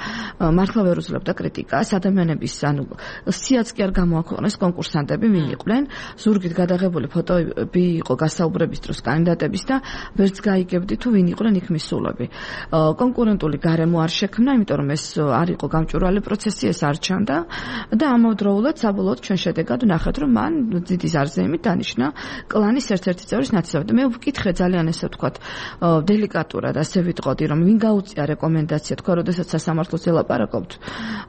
მართლა ვერ უძლებდა კრიტიკას, ადამიანების ანუ სიაც კი არ გამოაქვეყნეს კონკურსანტები ვინ იყვნენ, ზურგით გადაღებული ფოტოები იყო გასაუბრების დროს კანდიდატების და ვერც გაიგებდი თუ ვინ იყვნენ იქ მისულები. კონკურენტული გარემო არ შექმნა, იმიტომ რომ ეს არ იყო გამჭვირვალე პროცესი, ეს არ ჩანდა და ამავდროულად საბოლოოდ ჩვენ შედეგად ვნახეთ, რომ მან ძიდის არზეიმით დანიშნა კლანის ერთ-ერთი წევრის ნათესავი. მე ვკითხე ძალიან ესე ვთქვათ დელიკატურად, ასე ვიტყოდი, რომ ვინ გაუწია რეკომენდაცია, თქვა, როდესაც სასამართლოს ელაპარაკობთ,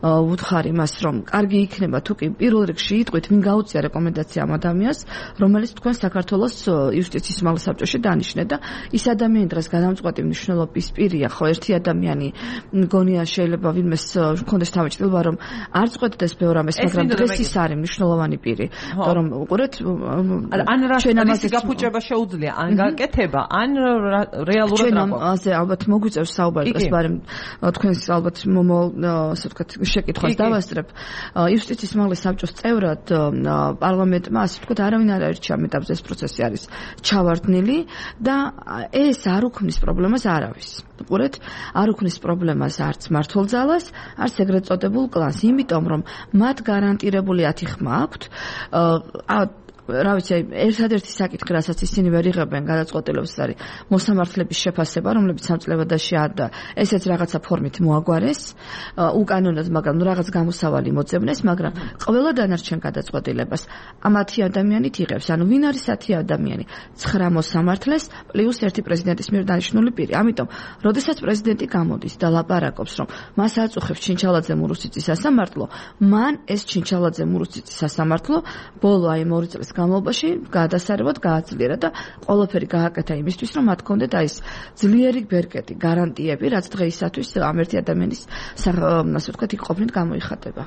ვუთხარი მას, რომ კარგი იქნება თუ კი პირველ რიგში იტყვით, ვინ გაუწია რეკომენდაცია ამ ადამიანს, რომელიც თქვენ საქართველოს იუსტიციის უმაღლეს საბჭოში დანიშნეთ და ის ადამიანი დღეს გადამწყვეტი მნიშვნელობის პირია, ხო, ერთი ადამიანი მგონია შეიძლება ვინმეს ჰქონდეს თავმოჭრილი, რომ არ წყვეტდეს ბევრ ამას, მაგრამ დღეს ის არის მნიშვნელოვანი პირი. თორემ უყურეთ, ან რას გაფუჭება შეუძლია, ან გაკეთება, ან რეალურად რა გვაქვს. ასე ალბათ მოგვიწევს საუბარი ეს, მაგრამ თქვენს ალბათ მომო, ასე ვთქვათ, შეკითხვას დავასწრებ. იუსტიციის უმაღლეს საბჭოს წევრად პარლამენტმა, ასე ვთქვათ, არავინ არ აირჩია ამ ეტაპზე, ეს პროცესი არის ჩავარდნილი და ეს არ უქმნის პრობლემას არავის. უყურეთ, არ უქმნის პრობლემას არც მართლძალას, არც ეგრეთ წოდებულ კლანს, იმიტომ რომ მათ გარანტირებული ათი ხმა აქვთ. რა ვიცი, ერთადერთი საკითხი, რასაც ისინი ვერ იღებენ გადაწყვეტილებას, არის მოსამართლების შეფასება, რომლებიც სამწლებადაში და ესეც რაღაცა ფორმით მოაგვარეს, უკანონოდ, მაგრამ რაღაც გამოსავალი მოძებნეს, მაგრამ ყველა დანარჩენ გადაწყვეტილებას ამათი ადამიანით იღებს. ანუ ვინ არის ათი ადამიანი? ცხრა მოსამართლეს პლუს ერთი პრეზიდენტის მიერ დანიშნული პირი. ამიტომ, როდესაც პრეზიდენტი გამოდის და ლაპარაკობს, რომ მას აწუხებს ჩინჩალაძე მურუსიძის სასამართლო, მან ეს ჩინჩალაძე მურუსიძის სასამართლო ბოლო აი ორი წლის განმავლობაში გადასარევად გააძლიერა და ყველაფერი გააკეთა იმისთვის, რომ მათ კონდეთ აი ეს ძლიერი ბერკეტი, გარანტიები, რაც დღეისათვის ამ ერთი ადამიანის ასე ვთქვათ, იქ ყოფნით გამოიხატება.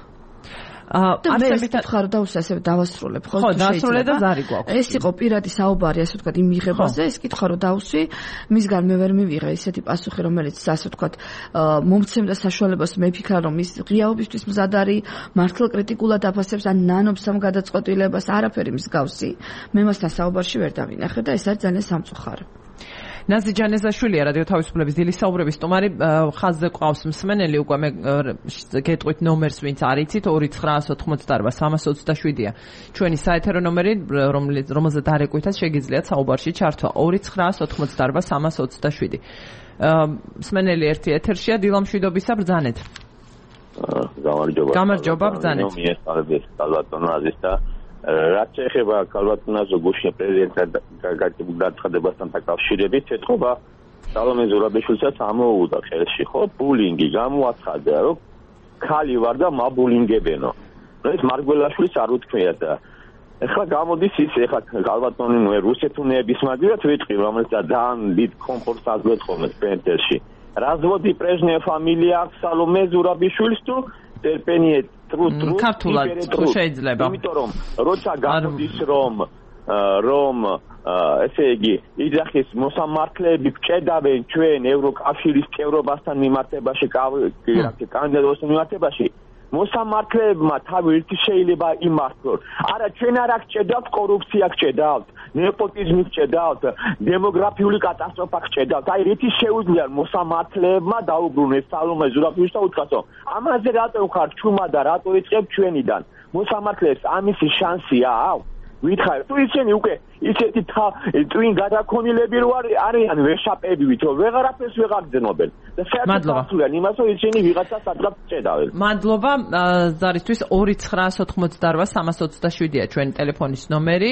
და მე ვთქვა რომ დავუსე ასევე დავასრულებ ხო ხო დასრულე და ზარი გვაქვს ეს იყო პირადი საუბარი ასე ვთქვათ იმ მიღებაზე ეს კითხვა რომ დავუსვი მისგან მე ვერ მივიღე ისეთი პასუხი რომელიც ასე ვთქვათ მომცემდა საშუალებას მე ვფიქრა რომ ის ღიაობისთვის მზად არის მართლა კრიტიკულად აფასებს ან ნანობს ამ გადაწყვეტილებას არაფერი მსგავსი მე მასთან საუბარში ვერ დავინახე და ეს არის ძალიან სამწუხარო ნაზი ჯანეზაშვილია რადიო თავისუფლების დილის საუბრების სტუმარი ხაზზე ყავს მსმენელი უკვე მე გეტყვით ნომერს ვინც არ იცით ორი ცხრაას ოთხმოცდაარბა სამას ოცდაშვიდია ჩვენი საეთერო ნომერი რომელზეც დარეკვითაც შეგიძლიათ საუბარში ჩართვა ორი ცხრაას ოთხმოცდაარბა სამას ოცდაშვიდი მსმენელი ერთი ეთერშია დილა მშვიდობისა ბრძანეთ გამარჯობა გამარჯობა ბრძანეთ მიესწრებს ბალატონ აზის და რაც ეხება ქალბატონას გუშინ პრეზიდენტთან გაცხადებასთან დაკავშირებით ეთქობა სალომე ზურაბიშვილსაც ამოუდა ხელში ხო ბულინგი გამოაცხადა რომ ქალი ვარ და მაბულინგებენო ეს მარგველაშვილის არ უთქვია და ეხლა გამოდის ის ეხლა ქალბატონი ნუ რუსეთუნეების მაგივრად ვიტყვი რომელიც ძალიან დიდ კომფორტს აძლევს ხოლმე სპენტერში разводи прежняя фамилия სალომე ზურაბიშვილს თუ ტერპენიე true true ქართულად თუ შეიძლება იმიტომ რომ როცა გამოდის რომ რომ ესე იგი იძახის მოსამართლეები გჭედავენ ჩვენ ევროკავშირის წევრობასთან მიმართებაში კანდიდატობის მიმართებაში მოსამართლეებმა თავი ერთი შეიძლება იმართლოს არა ჩვენ არ გჭედავთ კორუფცია გჭედავთ ნეპოტიზმი გჭედავთ დემოგრაფიული კატასტროფა გჭედავთ აი რითი შეუძლია მოსამართლეებმა დაუბრუნეს სალომე ზურაბიშვილს და უთქვასო ამაზე რატო ხარ ჩუმა და რატო იწყებ ჩვენიდან მოსამართლეებს ამისი შანსია აქვს ვითხარ თუ ისინი უკვე ისეთი ტვინ გადაქონილები რო არიან ვეშაპებივით რომ ვეღარაფერს ვეღარძნობენ და საერთოდ იმას რომ ისინი ვიღაცას ადრე წედავენ მადლობა ზარისთვის ორი ცხრაას ოთხმოცდაარბა სამას ოცდაშვიდია ჩვენი ტელეფონის ნომერი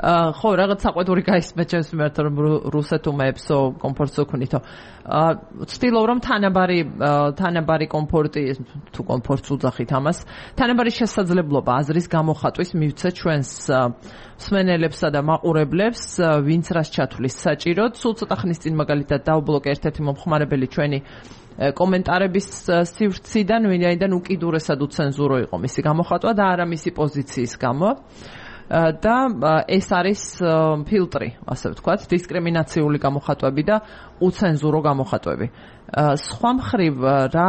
ხო რაღაც საყვედური გაისმეთ ჩემს მიმართ რომ რუსეთუმეებსო კომფორტსო ქნითო ვცდილობ რომ თანაბარი თანაბარი კომფორტი თუ კომფორტს უძახით ამას თანაბარი შესაძლებლობა აზრის გამოხატვის მივცე ჩვენს მსმენელებსა და მაყურებლებს ვინც რას ჩათვლის საჭიროდ სულ ცოტა ხნის წინ მაგალითად დავბლოკე ერთ-ერთი მომხმარებელი ჩვენი კომენტარების სივრციდან ვინაიდან უკიდურესად უცენზურო იყო მისი გამოხატვა და არა მისი პოზიციის გამო და ეს არის ფილტრი ასე ვთქვათ დისკრიმინაციული გამოხატვები და უცენზურო გამოხატვები სხვა მხრივ რა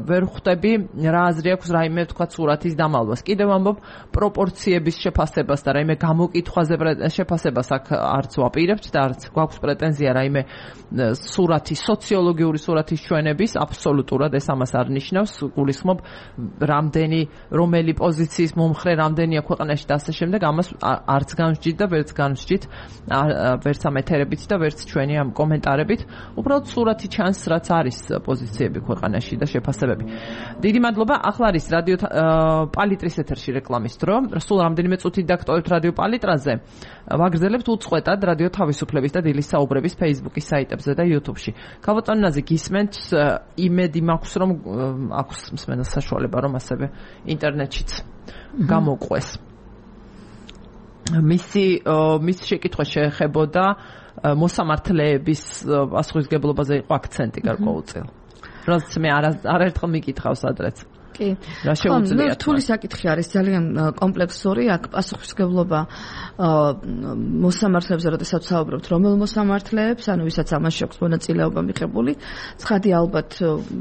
ვერ ხვდები რა აზრი აქვს რაიმე ვთქვათ სურათის დამალვას კიდევ ამბობ პროპორციების შეფასებას და რაიმე გამოკითხვაზე შეფასებას აქ არც ვაპირებთ და არც გვაქვს პრეტენზია რაიმე სურათის სოციოლოგიური სურათის ჩვენების აბსოლუტურად ეს ამას არ ნიშნავს გულისხმობ რამდენი რომელი პოზიციის მომხრე რამდენია ქვეყანაში და ასე შემდეგ ამას არც განსჯით და ვერც განსჯით ვერც ამ ეთერებით და ვერც ჩვენი ამ კომენტარებით უბრალოდ სურათი ჩანს რაც არის პოზიციები ქვეყანაში და შეფასებები. დიდი მადლობა. ახლა არის რადიო პალიტრის ეთერში რეკლამის დრო. სულ რამდენიმე წუთი დაგტოვებთ რადიო პალიტრაზე. ვაგრძელებთ უწყვეტად რადიო თავისუფლების და დილის საუბრების Facebook-ის საიტებზე და YouTube-ში. ქალბატონ ნაზი გისმენთ იმედი მაქვს რომ აქვს მსმენელს საშუალება რომ ასევე ინტერნეტშიც გამოყვეს. მისი მის შეკითხვა შეეხებოდა მოსამართლეების პასუხისგებლობაზე იყო აქცენტი გარკვეულწილ. რაც მე არაერთხელ მიკითხავს ადრეც. კი. რა შეუძლიათ? რთული საკითხი არის ძალიან კომპლექსური, აქ პასუხისგებლობა მოსამართლეებზე, როდესაც საუბრობთ, რომელ მოსამართლეებს, ანუ ვისაც ამაში აქვს მონაწილეობა მიღებული, ცხადი ალბათ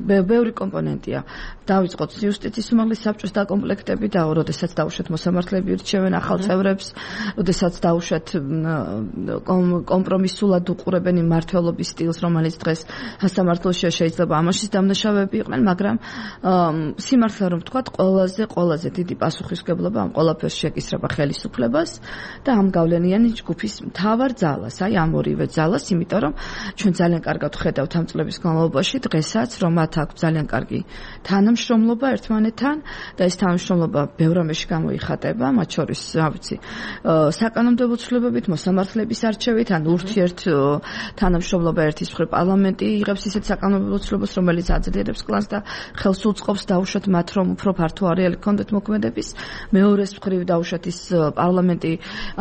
ბევრი კომპონენტია. დავიწყოთ იუსტიციის უმაღლეს საბჭოს დაკომპლექტები და როდესაც დაუშვათ მოსამართლეები ირჩევენ ახალ წევრებს, როდესაც დაუშვათ კომპრომისულად უყურებენ იმ მმართველობის სტილს, რომელიც დღეს სასამართლოშია, შეიძლება ამაშიც დამნაშავეები იყვნენ, მაგრამ სიმართლე რომ ვთქვათ, ყველაზე ყველაზე დიდი პასუხისგებლობა ამ ყველაფერს შეკისრება ხელისუფლებას და ამ გავლენიანი ჯგუფის მთავარ ძალას, აი ამ ორივე ძალას, იმიტომ რომ ჩვენ ძალიან კარგად ვხედავთ ამ წლების განმავლობაში დღესაც, რომ მათ აქვს ძალიან კარგი თანამშრომლობა ერთმანეთთან და ეს თანამშრომლობა ბევრ რამეში გამოიხატება, მათ შორის, რა ვიცი, საკანონმდებლო ცვლილებებით, მოსამართლეების არჩევით, ან ურთიერთ თანამშრომლობა ერთის მხრივ პარლამენტი იღებს ისეთ საკანონმდებლო ცვლილებას, რომელიც აძლიერებს კლანს და ხელს უწყობს დაუშვათ მათ რომ უფრო ფართო არეალი ჰქონდეთ მოქმედების, მეორეს მხრივ დაუშვათ ის პარლამენტი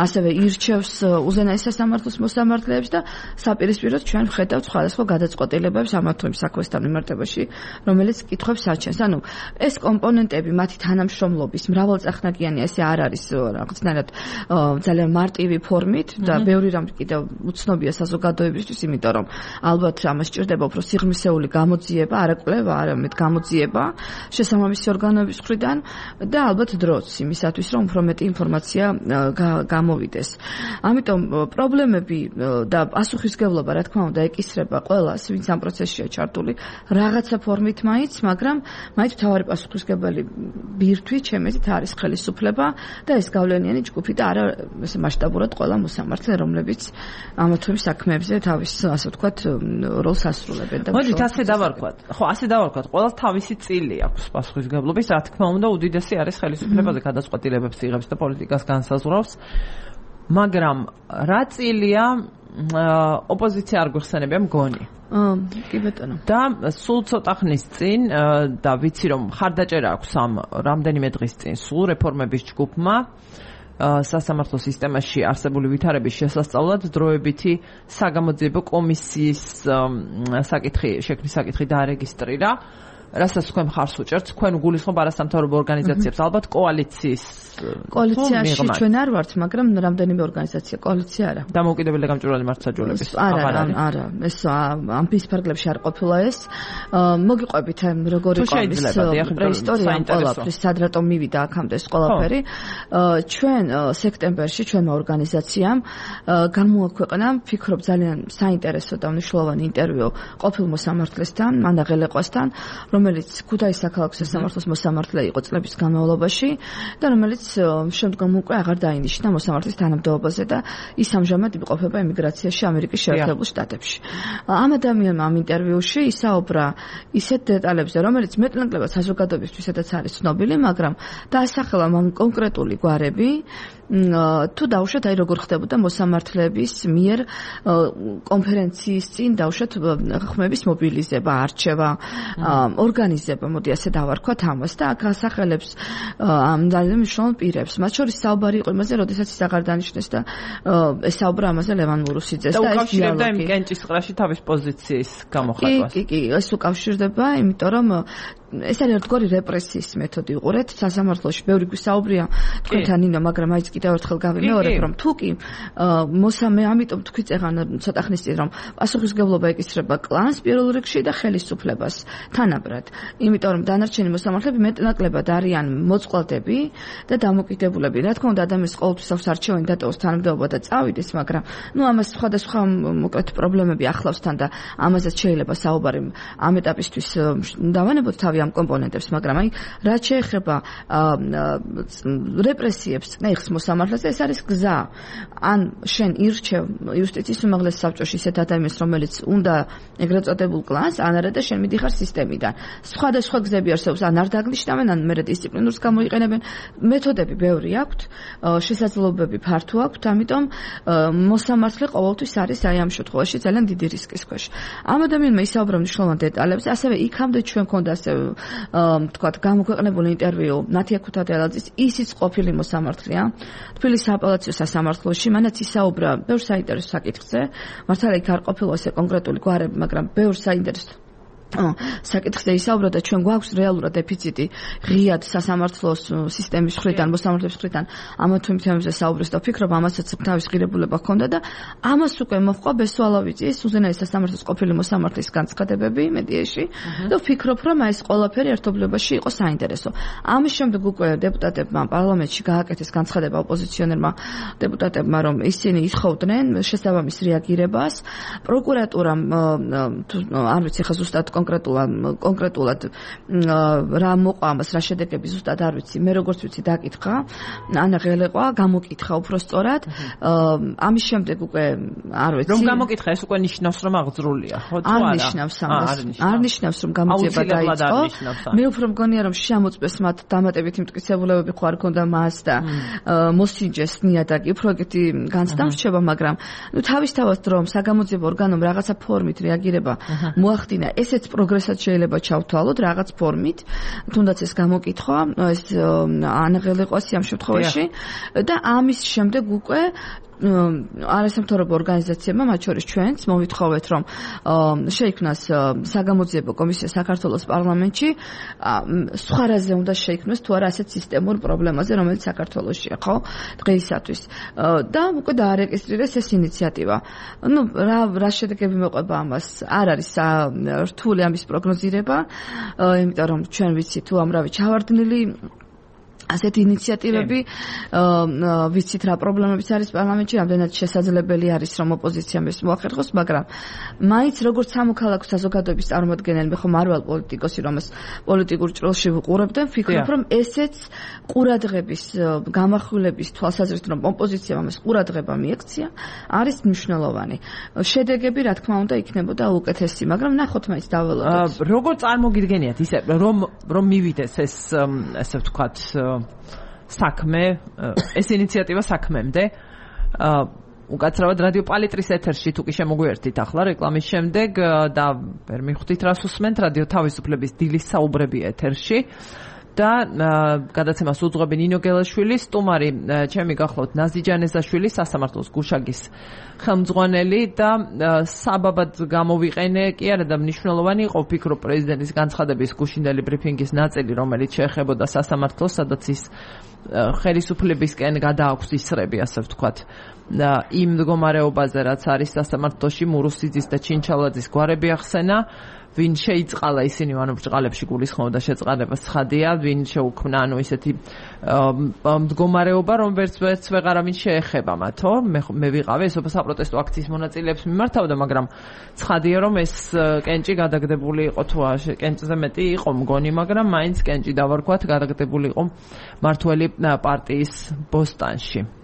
ასევე ირჩევს უზენაეს სასამართლოს მოსამართლეებს და საპირისპიროდ ჩვენ ვხედავთ სხვადასხვა გადაწყვეტილებებს ამა თუ იმ საქმესთან მიმართებაში, რომელიც კითხვებს აჩენს. ანუ ეს კომპონენტები მათი თანამშრომლობის მრავალწახნაგიანი ესე არ არის რაღაცნაირად ძალიან მარტივი ფორმით და ბევრი რამ კიდევ უცნობია საზოგადოებისთვის, იმიტომ რომ ალბათ ამას სჭირდება უფრო სიღრმისეული გამოძიება, არა კვლევა, არამედ გამოძიება შესაბამისი ორგანოების მხრიდან და ალბათ დროც იმისათვის, რომ უფრო მეტი ინფორმაცია გამოვიდეს. ამიტომ პრობლემები და პასუხისმგებლობა, რა თქმა უნდა, ეკისრება ყველას, ვინც ამ პროცესშია ჩართული, რაღაცა ფორმით მაინც, მაგრამ მაინც მთავარი პასუხისმგებელი ბირთვი ჩემით არის ხელისუფლება და ეს გავლენიანი ჯგუფი და არა ესე მასშტაბურად ყველა მოსამართლე, რომლებიც ამა თუ იმ საქმეებზე თავის, ასე ვთქვათ, როლს ასრულებენ და მოდით ასე დავარქვათ. ხო, ასე დავარქვათ, ყველას თავისი წილი აქვს პასუხისმგებლობის, რა თქმა უნდა, უდიდესი არის ხელისუფლებაზე გადაწყვეტილებებს იღებს და პოლიტიკას განსაზღვრავს. მაგრამ რა წილია ოპოზიცია არ გვიხსენებია მგონი. აა, კი ბატონო. და სულ ცოტა ხნის წინ და ვიცი რომ ხარდაჭერა აქვს ამ რამდენიმე დღის წინ სულ რეფორმების ჯგუფმა სასამართლო სისტემაში არსებული ვითარების შესასწავლად დროებითი საგამოძიებო კომისიის საკითხი, შექმნის საკითხი დაარეგისტრირა. რასაც თქვენ მხარს უჭერთ, თქვენ გულისხმობ არასამთავრობო ორგანიზაციებს, ალბათ კოალიციის კოალიციაში ჩვენ არ ვართ, მაგრამ რამდენიმე ორგანიზაცია კოალიცია არა. დამოუკიდებელი გამჭვირვალე მართლმსაჯულების არა, არა, ეს ამ ფისფარგლებში არ ყოფილა ეს. მოგიყვებით როგორი ყოფის პრეისტორია ამ ყველაფრის, სად რატომ მივიდა აქამდე ეს ყველაფერი. ჩვენ სექტემბერში ჩვენმა ორგანიზაციამ გამოაქვეყნა, ფიქრობ ძალიან საინტერესო და მნიშვნელოვანი ინტერვიუ ყოფილ მოსამართლესთან, მანდა ღელეყვასთან, რომელიც ქუთაისის საქალაქო სასამართლოს მოსამართლე იყო წლების განმავლობაში და რომელიც შემდგომ უკვე აღარ დაინიშნა მოსამართლის თანამდებობაზე და ის ამჟამად იმყოფება ემიგრაციაში ამერიკის შეერთებულ შტატებში. ამ ადამიანმა ამ ინტერვიუში ისაუბრა ისეთ დეტალებზე, რომელიც მეტნაკლებად საზოგადოებისთვისაც არის ცნობილი, მაგრამ დაასახელა მან კონკრეტული გვარები, თუ დაუშვათ აი როგორ ხდებოდა მოსამართლეების მიერ კონფერენციის წინ დაუშვათ ხმების მობილიზება, არჩევა, ორგანიზება, მოდი ასე დავარქვათ ამას და აქ ასახელებს ამ ძალიან მნიშვნელოვან პირებს. მათ შორის საუბარი იყო იმაზე, როდესაც ის აღარ დანიშნეს და ესაუბრა ამაზე ლევან მურუსიძეს და ეს დიალოგი. და უკავშირდება იმ კენჭისყრაში თავის პოზიციის გამოხატვას. კი, კი, ეს უკავშირდება, იმიტომ რომ ეს არის ერთგვარი რეპრესიის მეთოდი უყურეთ სასამართლოში. ბევრი გვისაუბრია თქვენთან ნინო, მაგრამ აიც კიდევ ერთხელ გავიმეორებ, რომ თუ კი მოსამე, ამიტომ თქვი წეღან ცოტა ხნის წინ რომ პასუხისმგებლობა ეკისრება კლანს პირველ რიგში და ხელისუფლებას თანაბრად. იმიტომ რომ დანარჩენი მოსამართლეები მეტნაკლებად არიან მოწყვლადები და დამოკიდებულები. რა თქმა უნდა, ადამიანს ყოველთვის აქვს არჩევანი დატოვოს თანამდებობა და წავიდეს, მაგრამ ნუ ამას სხვადასხვა მოკლედ პრობლემები ახლავსთან და ამაზეც შეიძლება საუბარი ამ ეტაპისთვის დავანებოთ თავი ამ კომპონენტებს, მაგრამ აი რაც შეეხება რეპრესიებს წნეხს მოსამართლეზე, ეს არის გზა. ან შენ ირჩევ იუსტიციის უმაღლეს საბჭოში ისეთ ადამიანს, რომელიც უნდა ეგრეთ წოდებულ კლანს, ან არა და შენ მიდიხარ სისტემიდან. სხვადასხვა გზები არსებობს, ან არ დაგნიშნავენ, ან მერე დისციპლინურს გამოიყენებენ. მეთოდები ბევრი აქვთ, შესაძლებლობები ფართო აქვთ, ამიტომ მოსამართლე ყოველთვის არის აი ამ შემთხვევაში ძალიან დიდი რისკის ქვეშ. ამ ადამიანმა ისაუბრა მნიშვნელოვან დეტალებზე, ასევე იქამდე ჩვენ ქონდა ასე ვთქვათ გამოქვეყნებული ინტერვიუ ნათია ქუთათელაძის, ისიც ყოფილი მოსამართლეა თბილისის აპელაციო სასამართლოში, მანაც ისაუბრა ბევრ საინტერესო საკითხზე. მართალია იქ არ ყოფილა ესე კონკრეტული გვარები, მაგრამ ბევრ საინტერესო საკითხზე ისაუბრა და ჩვენ გვაქვს რეალურად დეფიციტი ღიად სასამართლოს სისტემის მხრიდან, მოსამართლეების მხრიდან ამა თუ იმ თემებზე საუბრეს და ვფიქრობ ამასაც თავის ღირებულება ჰქონდა და ამას უკვე მოჰყვა ბესვალავიძის უზენაეს სასამართლოს ყოფილი მოსამართლის განცხადებები მედიაში და ვფიქრობ რომ ეს ყველაფერი ერთობლიობაში იყო საინტერესო. ამის შემდეგ უკვე დეპუტატებმა პარლამენტში გააკეთეს განცხადება ოპოზიციონერმა დეპუტატებმა, რომ ისინი ითხოვდნენ შესაბამის რეაგირებას. პროკურატურამ არ ვიცი ხა ზუსტად კონკრეტულად კონკრეტულად რა მოყვა ამას, რა შედეგები ზუსტად არ ვიცი, მე როგორც ვიცი დაკითხა, ანა ღელეყვა გამოკითხა უფრო სწორად. ამის შემდეგ უკვე არ ვიცი. რომ გამოკითხა, ეს უკვე ნიშნავს რომ აღძრულია, ხო თუ არა? არ ნიშნავს ამას. არ ნიშნავს რომ გამოძიება დაიწყო. მე უფრო მგონია რომ შემოწმეს მათ დამატებითი მტკიცებულებები ხო არ ქონდა მას და მოსინჯეს ნიადაგი, უფრო ეგეთი განცდა რჩება, მაგრამ ნუ თავისთავად რომ საგამოძიებო ორგანომ რაღაცა ფორმით რეაგირება მოახდინა, ესეც ისეთ პროგრესაც შეიძლება ჩავთვალოთ რაღაც ფორმით, თუნდაც ეს გამოკითხვა, ეს ანაღელეყვასი ამ შემთხვევაში და ამის შემდეგ უკვე არასამთავრობო ორგანიზაციებმა, მათ შორის ჩვენც, მოვითხოვეთ, რომ შეიქმნას საგამოძიებო კომისია საქართველოს პარლამენტში, სხვა რაზე უნდა შეიქმნას თუ არა ასეთ სისტემურ პრობლემაზე, რომელიც საქართველოსშია, ხო, დღეისათვის. და უკვე დაარეგისტრირეს ეს ინიციატივა. ნუ რა რა შედეგები მოყვება ამას? არ არის რთული ამის პროგნოზირება, იმიტომ რომ ჩვენ ვიცით თუ ამრავი ჩავარდნილი ასეთი ინიციატივები, ვიცით რა პრობლემებიც არის პარლამენტში, რამდენად შესაძლებელი არის რომ ოპოზიციამ ეს მოახერხოს, მაგრამ მაინც როგორც სამოქალაქო საზოგადოების წარმომადგენელი, მე ხომ არ ვარ პოლიტიკოსი, რომელს პოლიტიკურ ჭრილში ვუყურებ და ვფიქრობ, რომ ესეც ყურადღების გამახვილების თვალსაზრისით, რომ ოპოზიციამ ამას ყურადღება მიექცია, არის მნიშვნელოვანი. შედეგები, რა თქმა უნდა, იქნებოდა უკეთესი, მაგრამ ნახოთ მაინც დაველოდოთ. როგორ წარმოგიდგენიათ ისე, რომ რომ მივიდეს ეს ესე ვთქვათ საქმე, ეს ინიციატივა საქმემდე. უკაცრავად რადიო პალიტრის ეთერში თუ კი შემოგვიერთით ახლა რეკლამის შემდეგ და ვერ მიხვდით რას უსმენთ, რადიო თავისუფლების დილის საუბრები ეთერში. და გადაცემას უძღვები ნინო გელაშვილი, სტუმარი ჩემი გახლავთ ნაზი ჯანეზაშვილი, სასამართლოს გუშაგის ხელმძღვანელი და საბაბად გამოვიყენე კი არა და მნიშვნელოვანი იყო ვფიქრობ პრეზიდენტის განცხადების გუშინდელი ბრიფინგის ნაწილი, რომელიც შეეხებოდა სასამართლოს, სადაც ის ხელისუფლებისკენ გადააქვს ისრები, ასე ვთქვათ, იმ მდგომარეობაზე, რაც არის სასამართლოში, მურუსიძის და ჩინჩალაძის გვარები ახსენა. ვინ შეიწყალა ისინი, ანუ ბრჭყალებში გულისხმობდა შეწყალებას ცხადია, ვინ შეუქმნა, ანუ ისეთი მდგომარეობა, რომელიც ვერც ვეღარავინ შეეხება მათო. მე ვიყავი ეს საპროტესტო აქციის მონაწილეებს მიმართავდა, მაგრამ ცხადია, რომ ეს კენჭი გადაგდებული იყო თუ კენჭზე მეტი იყო მგონი, მაგრამ მაინც კენჭი დავარქვათ, გადაგდებული იყო მართველი პარტიის ბოსტანში.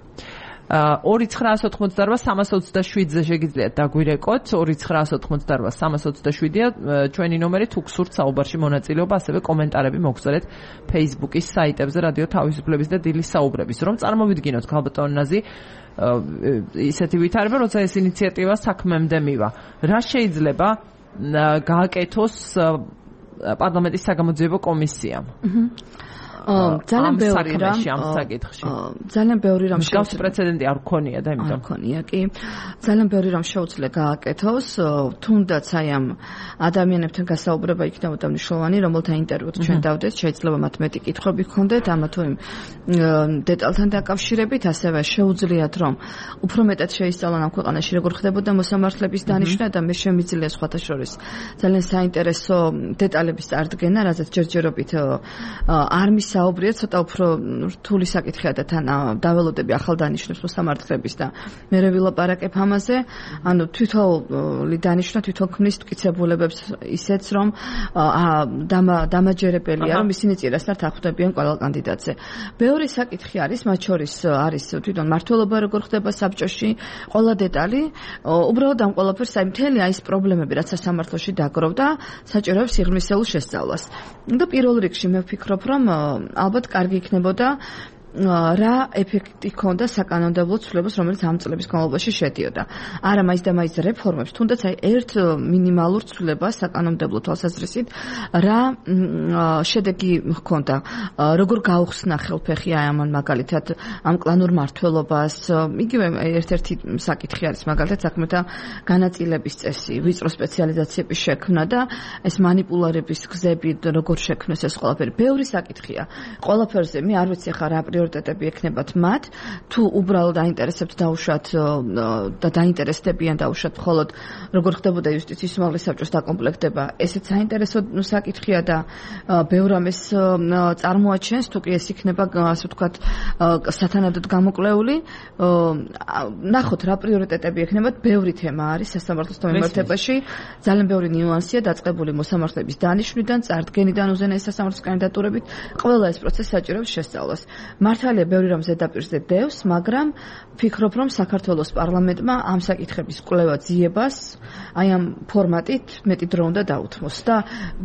ორი ცხრაას ოთხმოცდარვა სამას ოცდაშვიდზე შეგიძლიათ დაგვირეკოთ, ორი ცხრაას ოთხმოცდარვა სამას ოცდაშვიდია ჩვენი ნომერი, თუ გსურთ საუბარში მონაწილეობა, ასევე კომენტარები მოგწერეთ Facebook-ის საიტებზე რადიო თავისუფლების და დილის საუბრების, რომ წარმოვიდგინოთ ქალბატონ ნაზი ისეთი ვითარება, როცა ეს ინიციატივა საქმემდე მივა. რა შეიძლება გააკეთოს პარლამენტის საგამოძიებო კომისიამ? ძალიან ბევრი რამ ამ საკითხში. ძალიან ბევრი რამ შეუძლია პრეცედენტი არ გქონია და იმიტომ. არ გქონია კი. ძალიან ბევრი რამ შეუძლია გააკეთოს, თუნდაც აი ამ ადამიანებთან გასაუბრება იქნებოდა მნიშვნელოვანი, რომელთა ინტერვიუთ ჩვენ დავდეთ, შეიძლება მათ მეტი კითხვები გქონდეთ ამა თუ იმ დეტალთან დაკავშირებით, ასევე შეუძლიათ რომ უფრო მეტად შეისწავლონ ამ ქვეყანაში როგორ ხდებოდა მოსამართლების დანიშვნა და მე შემიძლია სხვათა შორის ძალიან საინტერესო დეტალების წარდგენა, რაზეც ჯერჯერობით არ საუბრია, ცოტა უფრო რთული საკითხია და თან დაველოდები ახალ დანიშნებს მოსამართლების და მე ვილაპარაკებ ამაზე. ანუ თვითონული დანიშნა თვითონ ქმნის მტკიცებულებებს ისეც, რომ დამაჯერებელია, რომ ისინი წინასწარ ხვდებიან ყველა კანდიდატზე. ბევრი საკითხი არის, მათ შორის არის თვითონ მართლობა როგორ ხდება საბჭოში, ყველა დეტალი. უბრალოდ ამ ყველაფერს აი მთელი აი ეს პრობლემები, რაც სასამართლოში დაგროვდა, საჭიროებს სიღრმისეულ შესწავლას. და პირველ რიგში მე ვფიქრობ, რომ ალბათ კარგი იქნებოდა რა ეფექტი ჰქონდა საკანონმდებლო ცვლილებას, რომელიც ამ წლების განმავლობაში შედიოდა. არა მაინც და მაინც რეფორმებს, თუნდაც აი ერთ მინიმალურ ცვლილებას საკანონმდებლო თვალსაზრისით, რა შედეგი ჰქონდა, როგორ გაუხსნა ხელფეხი აი ამან მაგალითად ამ კლანურ მართლობას. იგივე ერთ-ერთი საკითხი არის მაგალითად საქმეთა განაწილების წესი, ვიწრო სპეციალიზაციების შექმნა და ეს მანიპულირების გზები როგორ შექმნეს ეს ყველაფერი. ბევრი საკითხია. ყველაფერზე მე არ ვიცი ხა რა პრიორიტეტები ექნებათ მათ, თუ უბრალოდ დაინტერესებთ დაუშვათ და დაინტერესდებიან დაუშვათ მხოლოდ როგორ ხდებოდა იუსტიციის უმაღლეს საბჭოს დაკომპლექტება. ესეც საინტერესო საკითხია და ბევრ ამას წარმოაჩენს, თუ კი ეს იქნება, ასე ვთქვათ, სათანადოდ გამოკლეული. ნახოთ რა პრიორიტეტები ექნებათ, ბევრი თემა არის სასამართლოს მიმართებაში, ძალიან ბევრი ნიუანსია დაწყებული მოსამართლების დანიშვნიდან, წარდგენიდან უზენაეს სასამართლოს კანდიდატურებით, ყველა ეს პროცესი საჭიროებს შესწავლას. მართალია ბევრი რამ ზედაპირზე დევს, მაგრამ ვფიქრობ, რომ საქართველოს პარლამენტმა ამ საკითხების კვლევა ძიებას აი ამ ფორმატით მეტი დრო უნდა დაუთმოს და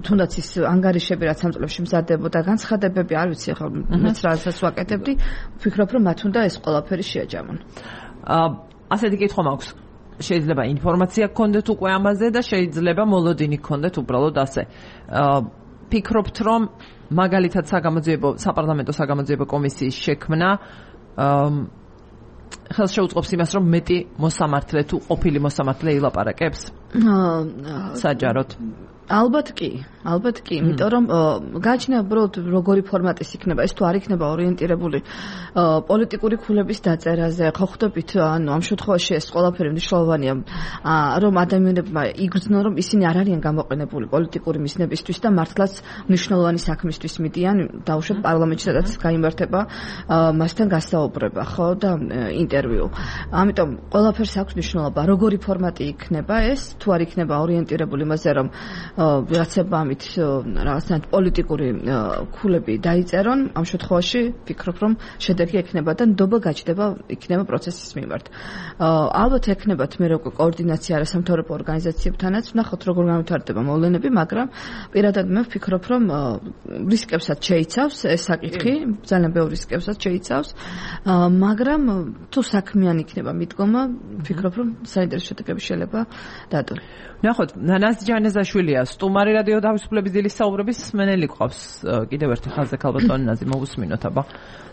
თუნდაც ის ანგარიშები, რაც ამ წლებში მზადდებოდა, განცხადებები, არ ვიცი ახლა მეც რასაც ვაკეთებდი, ვფიქრობ, რომ მათ უნდა ეს ყველაფერი შეაჯამონ. აა ასეთი კითხვა მაქვს. შეიძლება ინფორმაცია გქონდეთ უკვე ამაზე და შეიძლება მოლოდინი გქონდეთ უბრალოდ ასე. ფიქრობთ, რომ მაგალითად საგამოძიებო საპარლამენტო საგამოძიებო კომისიის შექმნა ხელს შეუწყობს იმას, რომ მეტი მოსამართლე თუ ყოფილი მოსამართლე ილაპარაკებს? საჯაროდ. ალბათ კი, ალბათ კი, იმიტომ რომ გაჩნია უბრალოდ როგორი ფორმატის იქნება, ეს თუ არ იქნება ორიენტირებული პოლიტიკური ქულების დაწერაზე, ხო ხვდებით, ანუ ამ შემთხვევაში ეს ყველაფერი მნიშვნელოვანია, რომ ადამიანებმა იგრძნონ, რომ ისინი არ არიან გამოყენებული პოლიტიკური მიზნებისთვის და მართლაც მნიშვნელოვანი საქმისთვის მიდიან, დაუშვათ პარლამენტში, სადაც გაიმართება მასთან გასაუბრება, ხო და ინტერვიუ. ამიტომ ყველაფერს აქვს მნიშვნელობა, როგორი ფორმატი იქნება ეს, თუ არ იქნება ორიენტირებული იმაზე, რომ ვიღაცებმა ამით რაღაცნაირად პოლიტიკური ქულები დაიწერონ, ამ შემთხვევაში ვფიქრობ, რომ შედეგი ექნება და ნდობა გაჩნდება იქნება პროცესის მიმართ. ალბათ ექნებათ მე როგორ კოორდინაცია არასამთავრობო ორგანიზაციებთანაც, ვნახოთ როგორ განვითარდება მოვლენები, მაგრამ პირადად მე ვფიქრობ, რომ რისკებსაც შეიცავს ეს საკითხი, ძალიან ბევრ რისკებსაც შეიცავს, მაგრამ თუ საქმიანი იქნება მიდგომა, ვფიქრობ, რომ საინტერესო შედეგები შეიძლება დადონ. ვნახოთ, ნანას ჯანეზაშვილია სტუმარი რადიო თავისუფლების დილის საუბრების მსმენელი ყავს. კიდევ ერთი ხაზზე ქალბატონი ნაზი მოვუსმინოთ აბა.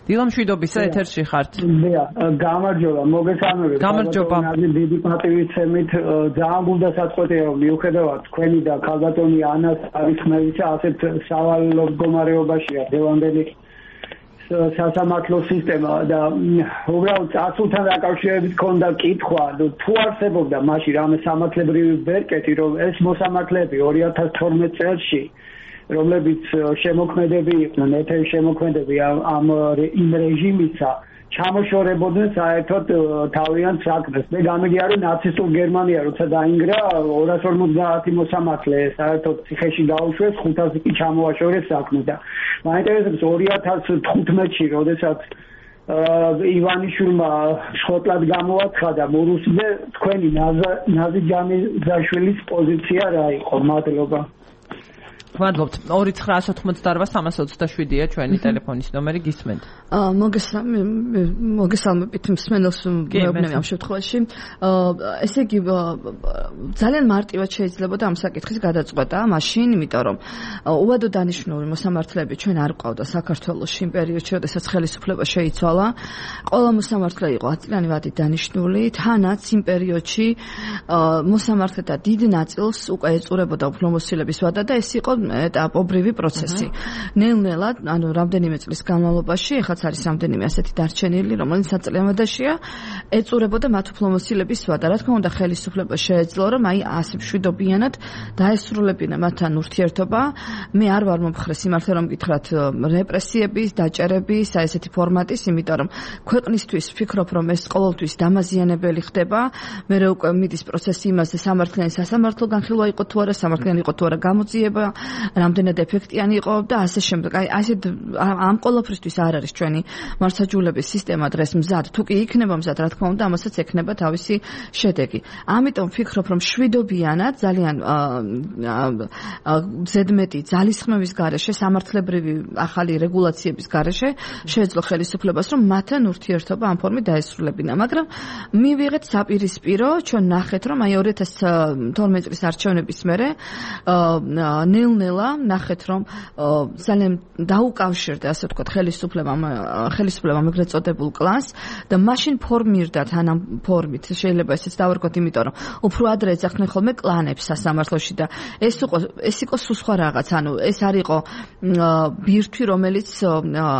დილა მშვიდობისა ეთერში ხართ. დიახ, გამარჯობა, მოგესალმებით. გამარჯობა. ნაზი დიდი პატივისცემით ძალიან გულდა საწყვეტია მიუხედავად თქვენი და ქალბატონი ანას არითმევიჩა ასეთ სავალალო მდგომარეობაშია დევანდელი სასამართლო სისტემა და უბრალოდ წასულთან დაკავშირებით ქონდა კითხვა, თუ არსებობდა მაშინ რამე სამართლებრივი ბერკეტი, რომ ეს მოსამართლეები ორი ათას თორმეტ წელსში, რომლებიც შემოქმედები იყვნენ, ეთერის შემოქმედები ამ იმ რეჟიმისა, ჩამოშორებოდნენ საერთოდ თავიანთ საქმეს. მე გამიგია, რომ ნაცისტურ გერმანია როცა დაინგრა ორას ორმოცდაათი მოსამართლე საერთოდ ციხეში გაუშვეს, ხუთასი კი ჩამოაშორეს საქმე და მაინტერესებს ორი ათას თხუთმეტში, როდესაც ივანიშვილმა შხოტლად გამოაცხადა მურუსზე, თქვენი ნაზი ჯანეზაშვილის პოზიცია რა იყო? მადლობა. ვადლობთ. ორი ცხრა ათოთხმოცდაარბა სამას ოცდაშვიდია ჩვენი ტელეფონის ნომერი, გისმენთ. მოგესალმებით მსმენელს მეუბნები ამ შემთხვევაში. ესე იგი ძალიან მარტივად შეიძლებოდა ამ საკითხის გადაწყვეტა მაშინ, იმიტომ რომ უვადო დანიშნული მოსამართლეები ჩვენ არ ყავდა საქართველოში იმ პერიოდში, როდესაც ხელისუფლება შეიცვალა. ყველა მოსამართლე იყო ათწლიანი ვადით დანიშნული, თანაც იმ პერიოდში მოსამართლეთა დიდ ნაწილს უკვე ეწურებოდა უფლებამოსილების ვადა და ეს იყო ეტაპობრივი პროცესი. ნელ-ნელა, ანუ რამდენიმე წლის განმავლობაში, ეხლაც არის რამდენიმე ასეთი დარჩენილი, რომელიც საწლევადაშია, ეწურებოდა მათ უფლებამოსილების ვადა. რა თქმა უნდა, ხელისუფლება შეეძლო, რომ აი ასე მშვიდობიანად დაესრულებინა მათთან ურთიერთობა. მე არ ვარ მომხრე სიმართლე რომ გითხრათ რეპრესიების, დაჭერების, აი ესეთი ფორმატის, იმიტომ რომ ქვეყნისთვის ვფიქრობ, რომ ეს ყოველთვის დამაზიანებელი ხდება. მე რა უკვე მიდის პროცესი იმაზე, სამართლიანი სასამართლო განხილვა იყო თუ არა, სამართლიანი იყო თუ არა გამოძიება. რამდენად ეფექტიანი იყო და ასე შემდეგ. აი ასე ამ ყოველფრისთვის არ არის ჩვენი მართლმსაჯულების სისტემა დღეს მზად. თუ კი იქნება მზად, რა თქმა უნდა, ამასაც ექნება თავისი შედეგი. ამიტომ ვფიქრობ, რომ შვიდობიანად ძალიან ზედმეტი ძალისხმევის გარეშე, სამართლებრივი ახალი რეგულაციების გარეშე შეეძლო ხელისუფლებას, რომ მათთან ურთიერთობა ამ ფორმით დაესრულებინა. მაგრამ მივიღეთ საპირისპირო, ჩვენ ნახეთ, რომ აი ორი ათას თორმეტი წლის არჩევნების მერე ნელ-ნელა ნახეთ, რომ ძალიან დაუკავშირდა, ასე ვთქვათ, ხელისუფლებამ ხელისუფლებამ ეგრეთ წოდებულ კლანს და მაშინ ფორმირდა თან ამ ფორმით, შეიძლება ესეც დავარქვათ, იმიტომ რომ უფრო ადრე ეძახდნენ ხოლმე კლანებს სასამართლოში და ეს იყო ეს იყო სულ სხვა რაღაც, ანუ ეს არ იყო ბირთვი, რომელიც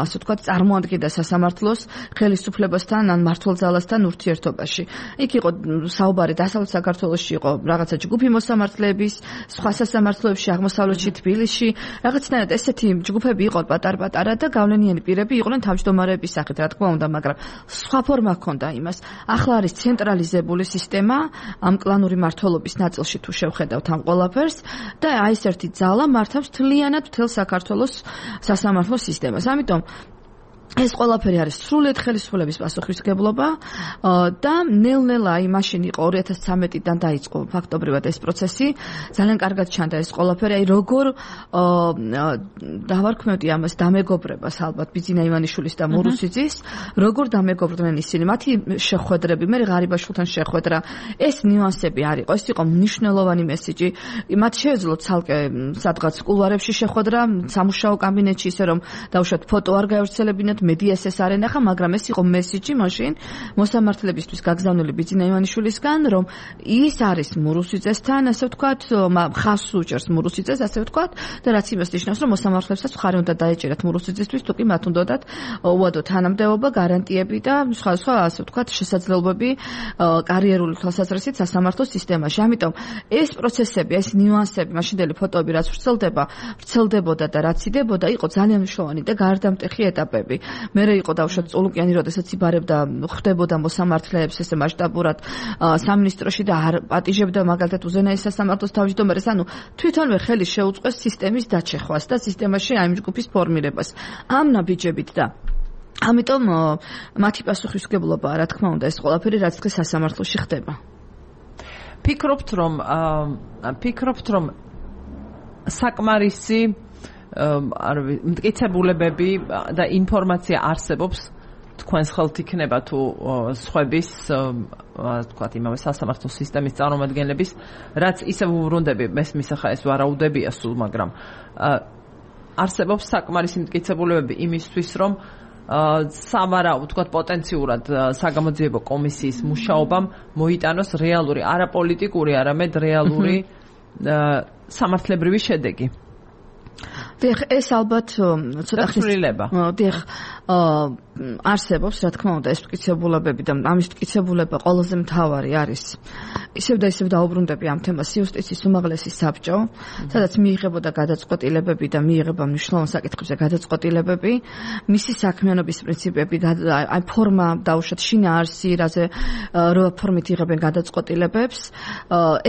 ასე ვთქვათ, წარმოადგენდა სასამართლოს ხელისუფლებასთან ან მმართველ-ძალასთან ურთიერთობაში. იქ იყო საუბარი დასავლეთ საქართველოში იყო რაღაცა ჯგუფი მოსამართლეების, სხვა სასამართლოებში, აღმოსავლეთში, თბილისში, რაღაცნაირად ესეთი ჯგუფები იყო პატარ-პატარა და გავლენიანი პირები იყვნენ თავმჯდომარეების სახით, რა თქმა უნდა, მაგრამ სხვა ფორმა ჰქონდა იმას. ახლა არის ცენტრალიზებული სისტემა, ამ კლანური მმართველობის ნაწილში თუ შევხედავთ ამ ყველაფერს და აი ეს ერთი ძალა მართავს მთლიანად მთელ საქართველოს სასამართლო სისტემას. ამიტომ ეს ყველაფერი არის სრულიად ხელისუფლების პასუხისმგებლობა და ნელ-ნელა აი მაშინ იყო ორი ათას ცხრამეტიდან დაიწყო ფაქტობრივად ეს პროცესი. ძალიან კარგად ჩანდა ეს ყველაფერი. აი როგორ დავარქმევდი ამას დამეგობრებას ალბათ ბიძინა ივანიშვილის და მურუსიძის, როგორ დამეგობრდნენ ისინი. მათი შეხვედრები, მე ღარიბაშვილთან შეხვედრა, ეს ნიუანსები არ იყო. ეს იყო მნიშვნელოვანი მესიჯი. მათ შეეძლოთ ცალკე სადღაც კულვარებში შეხვედრა, სამუშაო კაბინეტში, ისე რომ დავუშვათ ფოტო არ გაევრცელებინათ, მედიას ეს არ ენახა, მაგრამ ეს იყო მესიჯი მაშინ მოსამართლებისთვის გაგზავნილი ბიძინა ივანიშვილისგან, რომ ის არის მურუსიძესთან, ასე ვთქვათ, ხაზს უჭერს მურუსიძეს, ასე ვთქვათ, და რაც იმას ნიშნავს, რომ მოსამართლებსაც მხარი უნდა დაეჭერათ მურუსიძისთვის, თუ კი მათ უნდათ უადო თანამდებობა, გარანტიები და სხვა სხვა, ასე ვთქვათ, შესაძლებლობები კარიერული თვალსაზრისით სასამართლო სისტემაში. ამიტომ ეს პროცესები, ეს ნიუანსები, მაშინდელი ფოტოები რაც ვრცელდება, ვრცელდებოდა და რაც იდებოდა, იყო ძალიან მნიშვნელოვანი და გარდამტეხი ეტაპები. მერე იყო დავუშვათ წულუკიანი, როდესაც იბარებდა, ხვდებოდა მოსამართლეებს ესე მასშტაბურად სამინისტროში და არ პატიჟებდა მაგალითად უზენაეს სასამართლოს თავმჯდომარეს, ანუ თვითონვე ხელი შეუწყეს სისტემის დაჩეხვას და სისტემაში აი ჯგუფის ფორმირებას. ამ ნაბიჯებით და ამიტომ მათი პასუხისმგებლობა, რა თქმა უნდა, ეს ყველაფერი რაც დღეს სასამართლოში ხდება. ფიქრობთ, რომ ფიქრობთ, რომ საკმარისი არ ვიცი, მტკიცებულებები და ინფორმაცია არსებობს თქვენს ხელთ იქნება თუ სხვების, თქვათ, იმავე სასამართლო სისტემის წარმომადგენლების, რაც ისევ უბრუნდები, მესმის ახლა ეს ვარაუდებია სულ, მაგრამ არსებობს საკმარისი მტკიცებულებები იმისთვის, რომ სამარაო, თქვათ, პოტენციურად საგამოძიებო კომისიის მუშაობამ მოიტანოს რეალური, არა პოლიტიკური, არამედ რეალური სამართლებრივი შედეგი. დიახ, ეს ალბათ ცოტა ხილება. დიახ, არსებობს, რა თქმა უნდა, ეს მტკიცებულებები და ამის მტკიცებულება ყველაზე მთავარი არის. ისევ და ისევ დაუბრუნდები ამ თემას იუსტიციის უმაღლესი საბჭო, სადაც მიიღებოდა გადაწყვეტილებები და მიიღება მნიშვნელოვან საკითხებზე გადაწყვეტილებები, მისი საქმიანობის პრინციპები, აი ფორმა დაუშვათ შინაარსი, რაზე რა ფორმით იღებენ გადაწყვეტილებებს,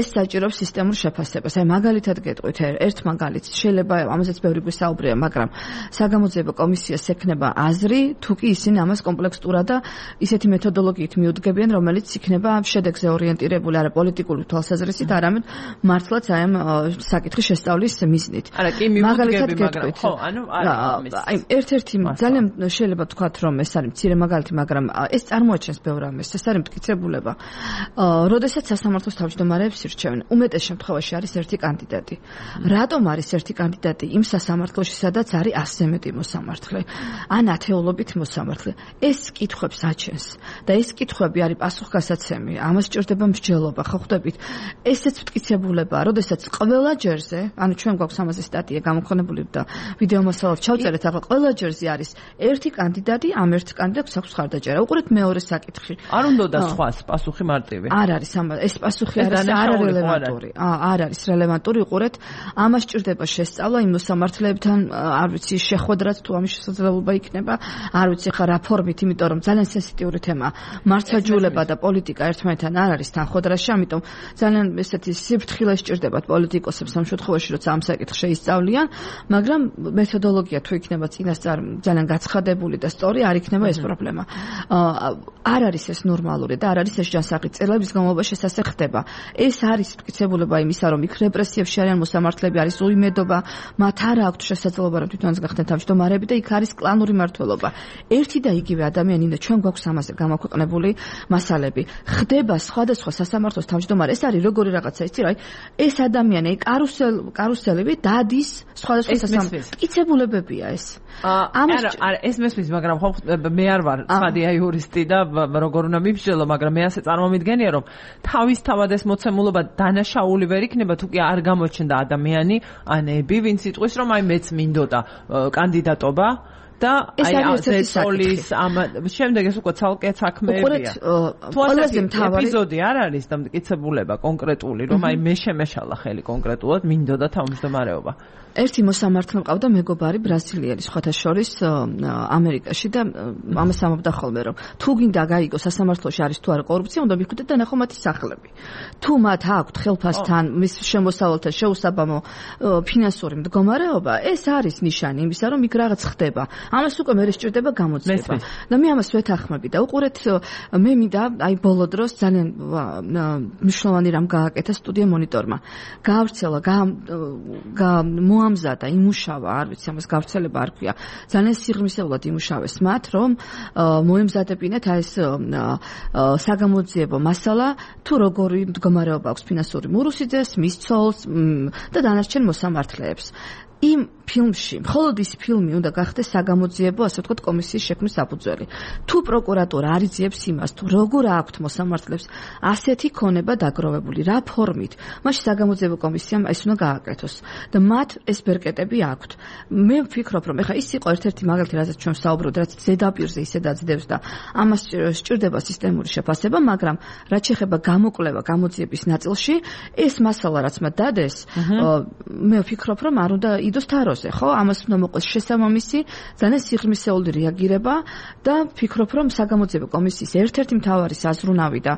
ეს საჭიროებს სისტემურ შეფასებას. აი მაგალითად გეტყვით ერთ მაგალითს, შეიძლება ამაზეც ბევრი გვისაუბრია, მაგრამ საგამოძიებო კომისიას ექნება აზრი, თუ კი ისინი ამას კომპლექსურად და ისეთი მეთოდოლოგიით მიუდგებიან, რომელიც იქნება შედეგზე ორიენტირებული, არა პოლიტიკური თვალსაზრისით, არამედ მართლაც აი ამ საკითხის შესწავლის მიზნით. არა, კი მიუდგები, მაგრამ ხო, ანუ აი ერთ-ერთი ძალიან შეიძლება ვთქვათ, რომ ეს არის მცირე მაგალითი, მაგრამ ეს წარმოაჩენს ბევრ ამას, ეს არის მტკიცებულება. როდესაც სასამართლოს თავმჯდომარეებს ირჩევენ, უმეტეს შემთხვევაში არის ერთი კანდიდატი. რატომ არის ერთი კანდიდატი იმ სასამართლოში, სადაც არის ასზე მეტი მოსამართლე? ან ათეულობით მოსამართლე. ეს კითხვებს აჩენს და ეს კითხვები არის პასუხგასაცემი. ამას სჭირდება მსჯელობა, ხო ხვდებით? ესეც მტკიცებულებაა, როდესაც ყველა ჯერზე, ანუ ჩვენ გვაქვს ამაზე სტატია გამოქვეყნებული და ვიდეო მასალად ჩავწერეთ, ახლა ყველა ჯერზე არის ერთი კანდიდატი, ამ ერთ კანდიდატს აქვს ხარდაჭერა. უყურეთ მეორე საკითხი. არ უნდა სხვას პასუხი მარტივი. არ არის ამ ეს პასუხი არის არარელევანტური. არ არის რელევანტური, უყურეთ, ამას სჭირდება შესწავლა იმ მოსამართლეებთან, არ ვიცი, შეხვედრაც თუ ამის შესაძლებლობა იქნება, არ ვიცი ხა რა ფორმით, იმიტომ რომ ძალიან სენსიტიური თემაა. მართლმსაჯულება და პოლიტიკა ერთმანეთთან არ არის თანხმდრაში, ამიტომ ძალიან ესეთი სიფრთხილე სჭირდებათ პოლიტიკოსებს ამ შემთხვევაში, როცა ამ საკითხს შეისწავლიან, მაგრამ მეთოდოლოგია თუ იქნება წინასწარ ძალიან გაცხადებული და სწორი, არ იქნება ეს პრობლემა. არ არის ეს ნორმალური და არ არის ეს ჯანსაღი. წელების განმავლობაში ეს ასე ხდება. ეს არის მტკიცებულება იმისა, რომ იქ რეპრესიებში არიან მოსამართლეები, არის უიმედობა, მათ არ აქვთ შესაძლებლობა, რომ თვითონაც გახდნენ თავმჯდომარეები და იქ არის კლანური მმართველობა. ერთი და იგივე ადამიანი და ჩვენ გვაქვს ამაზე გამოქვეყნებული მასალები. ხდება სხვადასხვა სასამართლოს თავმჯდომარე. ეს არის როგორი რაღაცა, იცი რა? ეს ადამიანი კარუსელ კარუსელები დადის სხვადასხვა სასამართლოს. მტკიცებულებებია ეს. არა, არა, ეს მესმის, მაგრამ ხო მე არ ვარ ცხადია იურისტი და როგორ უნდა მიბრძოლო, მაგრამ მე ასე წარმომიდგენია, რომ თავისთავად ეს მოცემულობა დანაშაული ვერ იქნება, თუ კი არ გამოჩნდა ადამიანი, ანები, ვინც იტყვის, რომ აი მეც მინდოდა კანდიდატობა და აი ზეწოლის ამ შემდეგ ეს უკვე ცალკე საქმეებია. ყველაზე მთავარი ეპიზოდი არ არის და მტკიცებულება კონკრეტული, რომ აი მე შემეშალა ხელი კონკრეტულად მინდოდა თავმჯდომარეობა. ერთი მოსამართლე მყავდა მეგობარი ბრაზილიელი, სხვათა შორის ამერიკაში და ამას ამბობდა ხოლმე, რომ თუ გინდა გაიგო სასამართლოში არის თუ არა კორუფცია, უნდა მიხვდეთ და ნახო მათი სახლები. თუ მათ აქვთ ხელფასთან, მის შემოსავალთან შეუსაბამო ფინანსური მდგომარეობა, ეს არის ნიშანი იმისა, რომ იქ რაღაც ხდება. ამას უკვე მე სჭირდება გამოძიება. და მე ამას ვეთანხმები და უყურეთ მე მინდა აი ბოლო დროს ძალიან მნიშვნელოვანი რამ გააკეთა სტუდია მონიტორმა. გაავრცელა, მოამზადა, იმუშავა, არ ვიცი ამას გავრცელება არ ქვია. ძალიან სიღრმისეულად იმუშავეს მათ, რომ მოემზადებინათ აი ეს საგამოძიებო მასალა, თუ როგორი მდგომარეობა აქვს ფინანსური მურუსიძეს, მის ცოლს და დანარჩენ მოსამართლეებს. იმ ფილმში, მხოლოდ ის ფილმი უნდა გახდეს საგამოძიებო, ასე ვთქვათ, კომისიის შექმნის საფუძველი. თუ პროკურატურა არ იძიებს იმას, თუ როგორ აქვთ მოსამართლეებს ასეთი ქონება დაგროვებული, რა ფორმით, მაშინ საგამოძიებო კომისიამ ეს უნდა გააკეთოს და მათ ეს ბერკეტები აქვთ. მე ვფიქრობ, რომ ეხლა ის იყო ერთ-ერთი მაგალითი, რაზეც ჩვენ ვსაუბრობთ, რაც ზედაპირზე ისე დაძდევს და ამას სჭირდება სისტემური შეფასება, მაგრამ რაც შეეხება გამოკვლევა გამოძიების ნაწილში, ეს მასალა რაც მათ დადეს, მე ვფიქრობ, რომ არ უნდა იდოს თაროზე, ხო? ამას უნდა მოყოს შესაბამისი, ძალიან სიღრმისეული რეაგირება და ვფიქრობ, რომ საგამოძიებო კომისიის ერთ-ერთი მთავარი საზრუნავი და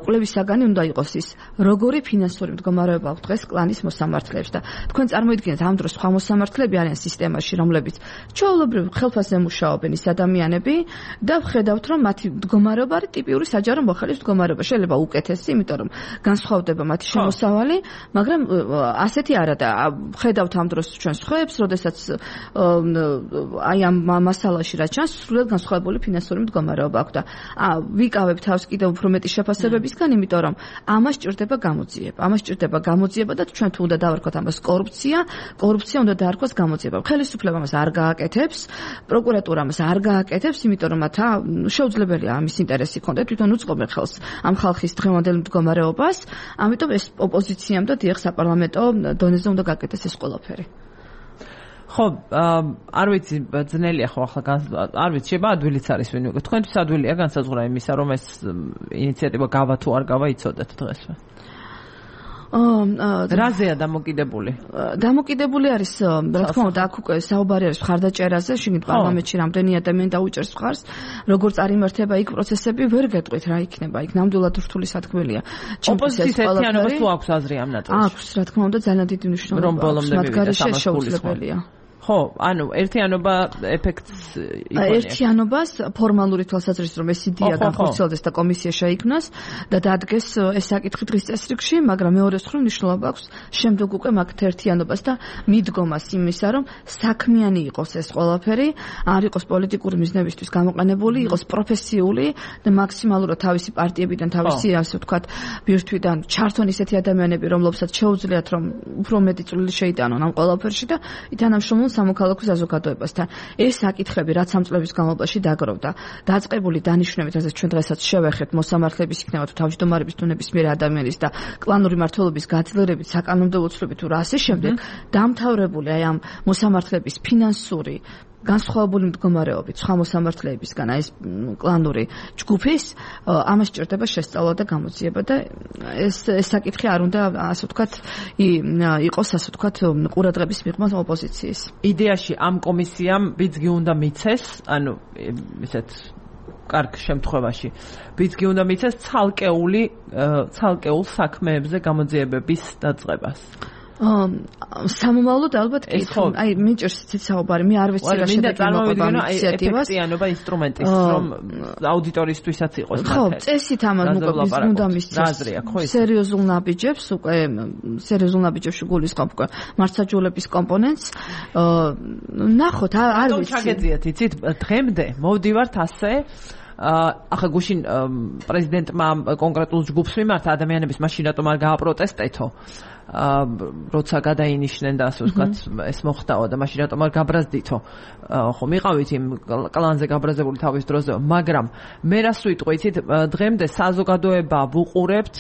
კვლევის საგანი უნდა იყოს ის, როგორი ფინანსური მდგომარეობა აქვს დღეს კლანის მოსამართლეებს და თქვენ წარმოიდგინეთ ამ დროს სხვა მოსამართლეები არიან სისტემაში, რომლებიც ჩვეულებრივ ხელფასზე მუშაობენ ის ადამიანები და ვხედავთ, რომ მათი მდგომარეობა არის ტიპიური საჯარო მოხელის მდგომარეობა. შეიძლება უკეთესი, იმიტომ რომ განსხვავდება მათი შემოსავალი, მაგრამ ასეთი არა და ვხედავთ ამ დროს ჩვენ სხვაებს, როდესაც აი ამ მასალაში რაც ჩანს, სრულად განსხვავებული ფინანსური მდგომარეობა აქვს და ვიკავებ თავს კიდევ უფრო მეტი შეფასებებისგან, იმიტომ რომ ამას სჭირდება გამოძიება. ამას სჭირდება გამოძიება და ჩვენ თუ უნდა დავარქვათ ამას კორუფცია, კორუფცია უნდა დაარქვას გამოძიება. ხელისუფლება ამას არ გააკეთებს, პროკურატურა ამას არ გააკეთებს, იმიტომ რომ მათ შეუძლებელია ამის ინტერესი ქონდეთ, თვითონ უწყობენ ხელს ამ ხალხის დღევანდელ მდგომარეობას, ამიტომ ეს ოპოზიციამ და დიახ საპარლამენტო დონეზე უნდა გააკეთეს ეს ყველაფერი. ხო, არ ვიცი, ძნელია ხო ახლა არ ვიცი, შეიძლება ადვილიც არის ვინ უკვე. თქვენთვის ადვილია განსაზღვრა იმისა, რომ ეს ინიციატივა გავა თუ არ გავა იცოდეთ დღესვე. რაზეა დამოკიდებული? დამოკიდებული არის, რა თქმა უნდა, აქ უკვე საუბარი არის მხარდაჭერაზე, შიგნით პარლამენტში რამდენი ადამიანი დაუჭერს მხარს, როგორც არიმართება იქ პროცესები, ვერ გეტყვით რა იქნება, იქ ნამდვილად რთული სათქმელია. ოპოზიციის ერთიანობა თუ აქვს აზრი ამ ნაწილში? აქვს, რა თქმა უნდა, ძალიან დიდი მნიშვნელობა აქვს, მათ გარეშე შეუძლებელია. ხო, ანუ ერთიანობა ეფექტს იქონია. ერთიანობას ფორმალური თვალსაზრისით რომ ეს იდეა განხორციელდეს და კომისია შეიქმნას და დადგეს ეს საკითხი დღის წესრიგში, მაგრამ მეორე მხრივ მნიშვნელობა აქვს შემდეგ უკვე მაგთ ერთიანობას და მიდგომას იმისა, რომ საქმიანი იყოს ეს ყველაფერი, არ იყოს პოლიტიკური მიზნებისთვის გამოყენებული, იყოს პროფესიული და მაქსიმალურად თავისი პარტიებიდან, თავისი ასე ვთქვათ, ბირთვიდან ჩართონ ისეთი ადამიანები, რომლებსაც შეუძლიათ რომ უფრო მეტი წვლილი შეიტანონ ამ ყველაფერში და ითანამშრომლონ სამოქალაქო საზოგადოებასთან. ეს საკითხები რაც ამ წლების განმავლობაში დაგროვდა, დაწყებული დანიშვნებით, რასაც ჩვენ დღესაც შევეხებთ, მოსამართლეების იქნება თუ თავმჯდომარების თუ ნებისმიერ ადამიანის და კლანური მმართველობის გაძლიერებით, საკანონმდებლო ცვლილებით თუ რა ასე შემდეგ, დამთავრებული აი ამ მოსამართლეების ფინანსური განსხვავებული მდგომარეობით სხვა მოსამართლეებისგან აი ეს კლანური ჯგუფის ამას სჭირდება შესწავლა და გამოძიება და ეს ეს საკითხი არ უნდა ასე ვთქვათ იყოს ასე ვთქვათ ყურადღების მიღმა ოპოზიციის. იდეაში ამ კომისიამ ბიძგი უნდა მიცეს, ანუ ისეთ კარგ შემთხვევაში ბიძგი უნდა მიცეს ცალკეული ცალკეულ საქმეებზე გამოძიებების დაწყებას. სამომავლოდ ალბათ კი, აი მიჭირს ცით საუბარი, მე არ ვიცი რა შედეგი მოყვება ინიციატივას. ეფექტიანობა ინსტრუმენტის, რომ აუდიტორიისთვისაც იყოს მათი. ხო, წესით ამას მოყვება უნდა მისცეს. სერიოზულ ნაბიჯებს, უკვე სერიოზულ ნაბიჯებში გულისხმობ უკვე მართლმსაჯულების კომპონენტს. ნახოთ, არ ვიცი. ჩაგეძიათ, იცით, დღემდე მოვდივართ ასე ახლა გუშინ პრეზიდენტმა კონკრეტულ ჯგუფს მიმართა ადამიანების მაშინ რატომ არ გააპროტესტეთო როცა გადაინიშნენ და ასე ვთქვათ ეს მოხდაო და მაშინ რატომ არ გაბრაზდითო ხო მიყავით იმ კლანზე გაბრაზებული თავის დროზე მაგრამ მე რას ვიტყვი იცით დღემდე საზოგადოება ვუყურებთ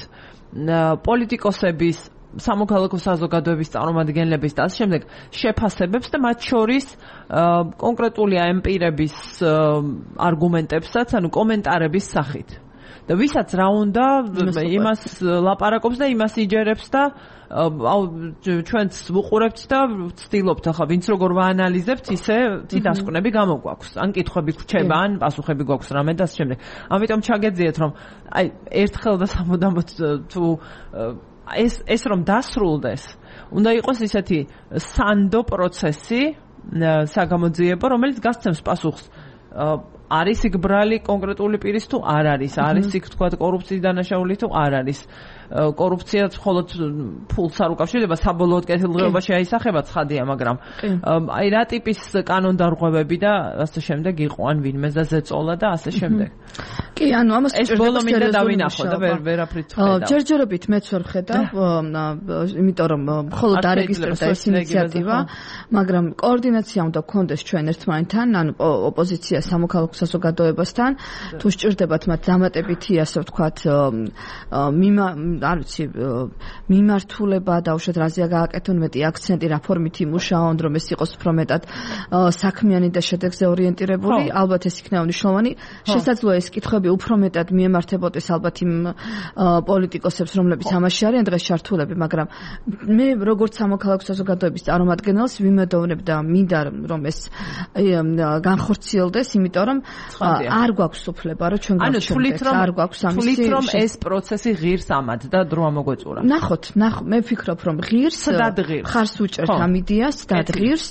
პოლიტიკოსების სამოქალაქო საზოგადოების წარმომადგენლების და ასე შემდეგ შეფასებებს და მათ შორის კონკრეტული ამ პირების არგუმენტებსაც, ანუ კომენტარების სახით. და ვისაც რა უნდა იმას ლაპარაკობს და იმას იჯერებს და აუ ჩვენც ვუყურებთ და ვცდილობთ ახლა ვინც როგორ ვაანალიზებთ ისე თი დასკვნები გამოგვაქვს. ან კითხვები გვჩება, ან პასუხები გვაქვს რამე და ასე შემდეგ. ამიტომ ჩაგეძიეთ რომ აი ერთხელ და სამუდამოდ თუ ეს ეს რომ დასრულდეს, უნდა იყოს ისეთი სანდო პროცესი, საგამოძიებო, რომელიც გასცემს პასუხს არის იქ ბრალი კონკრეტული პირის თუ არ არის, არის იქ თქვა კორუფციის დანაშაული თუ არ არის. კორუფცია მხოლოდ ფულს არ უკავშირდება, საბოლოოდ კეთილდღეობაში აისახება ცხადია, მაგრამ აი რა ტიპის კანონდარღვევები და ასე შემდეგ იყო, ან ვინმე ზეწოლა და ასე შემდეგ. კი, ანუ ამას ეს ბოლო მინდა დავინახო და ვერაფრით ვხედავ. ჯერჯერობით მეც ვერ ვხედავ, იმიტომ რომ მხოლოდ დარეგისტრირდა ეს ინიციატივა, მაგრამ კოორდინაცია უნდა გქონდეს ჩვენ ერთმანეთთან, ანუ ოპოზიცია სამოქალაქო საზოგადოებასთან, თუ სჭირდებათ მათ დამატებითი, ასე ვთქვათ, მიმა არ ვიცი, მიმართულება და უშუალოდ რაზეა გააკეთონ მეტი აქცენტი, რა ფორმით იმუშაონ, რომ ეს იყოს უფრო მეტად საქმიანი და შედეგზე ორიენტირებული, ალბათ ეს იქნება მნიშვნელოვანი. შესაძლოა ეს კითხვები უფრო მეტად მიემართებოდეს ალბათ იმ პოლიტიკოსებს, რომლებიც ამაში არიან დღეს ჩართულები, მაგრამ მე როგორც სამოქალაქო საზოგადოების წარმომადგენელს ვიმედოვნებ და მინდა რომ ეს განხორციელდეს, იმიტომ რომ არ გვაქვს უფლება, რომ ჩვენ გავჩერდეთ, არ გვაქვს ამის თulit რომ ეს პროცესი ღირს ამად და დრო ამოგვეწურა. ნახოთ, ნახ, მე ვფიქრობ რომ ღირს, ხარს უჭერთ ამ იდეას და ღირს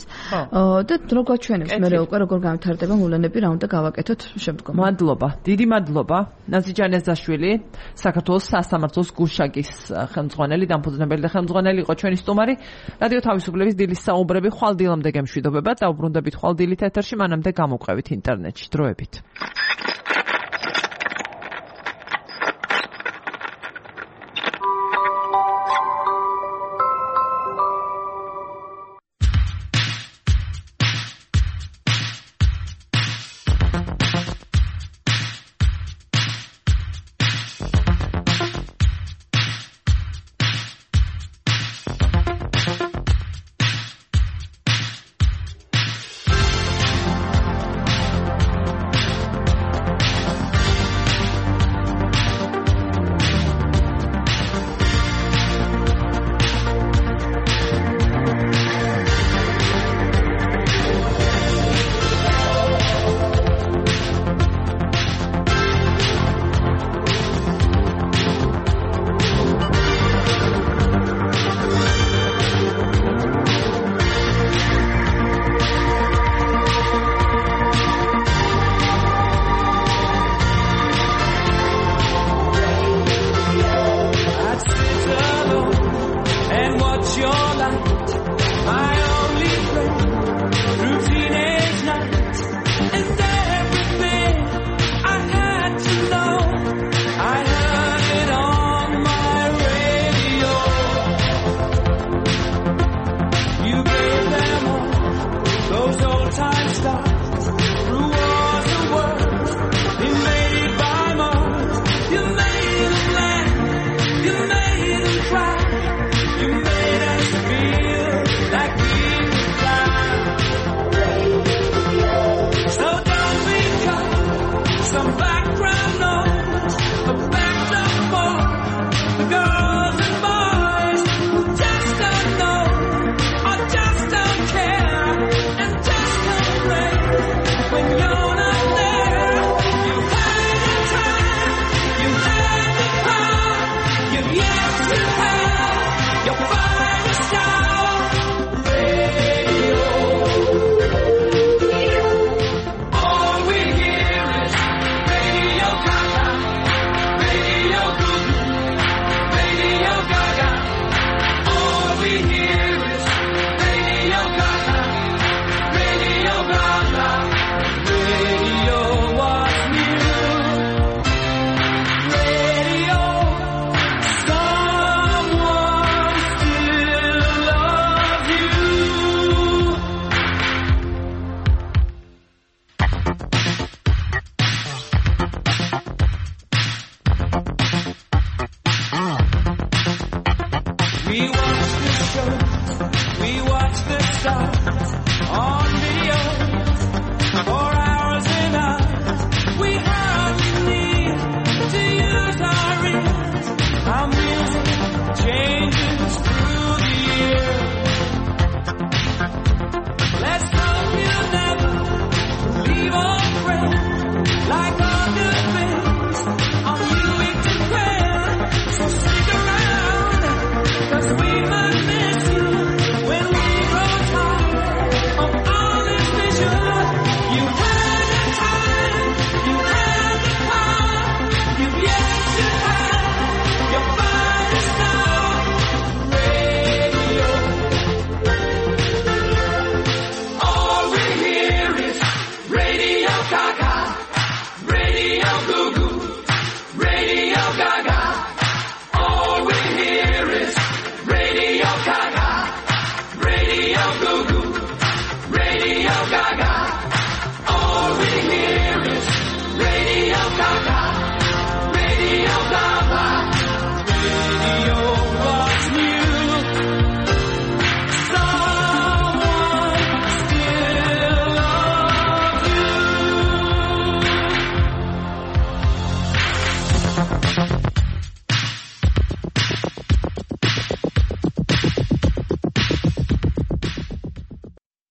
და დრო გვაჩვენებს მე უკვე როგორ განვითარდება მოვლენები, რა უნდა გავაკეთოთ შემდგომ. მადლობა, დიდი მადლობა. ნაზი ჯანეზაშვილი, საქართველოს სასამართლოს გუშაგის ხელმძღვანელი, დამფუძნებელი და ხელმძღვანელი იყო ჩვენი სტუმარი. რადიო თავისუფლების დილის საუბრები ხვალ დილამდე გემშვიდობება და უბრუნდებით ხვალ დილით ეთერში, მანამდე გამოყვებით ინტერნეტში. დროებით. Those old time stars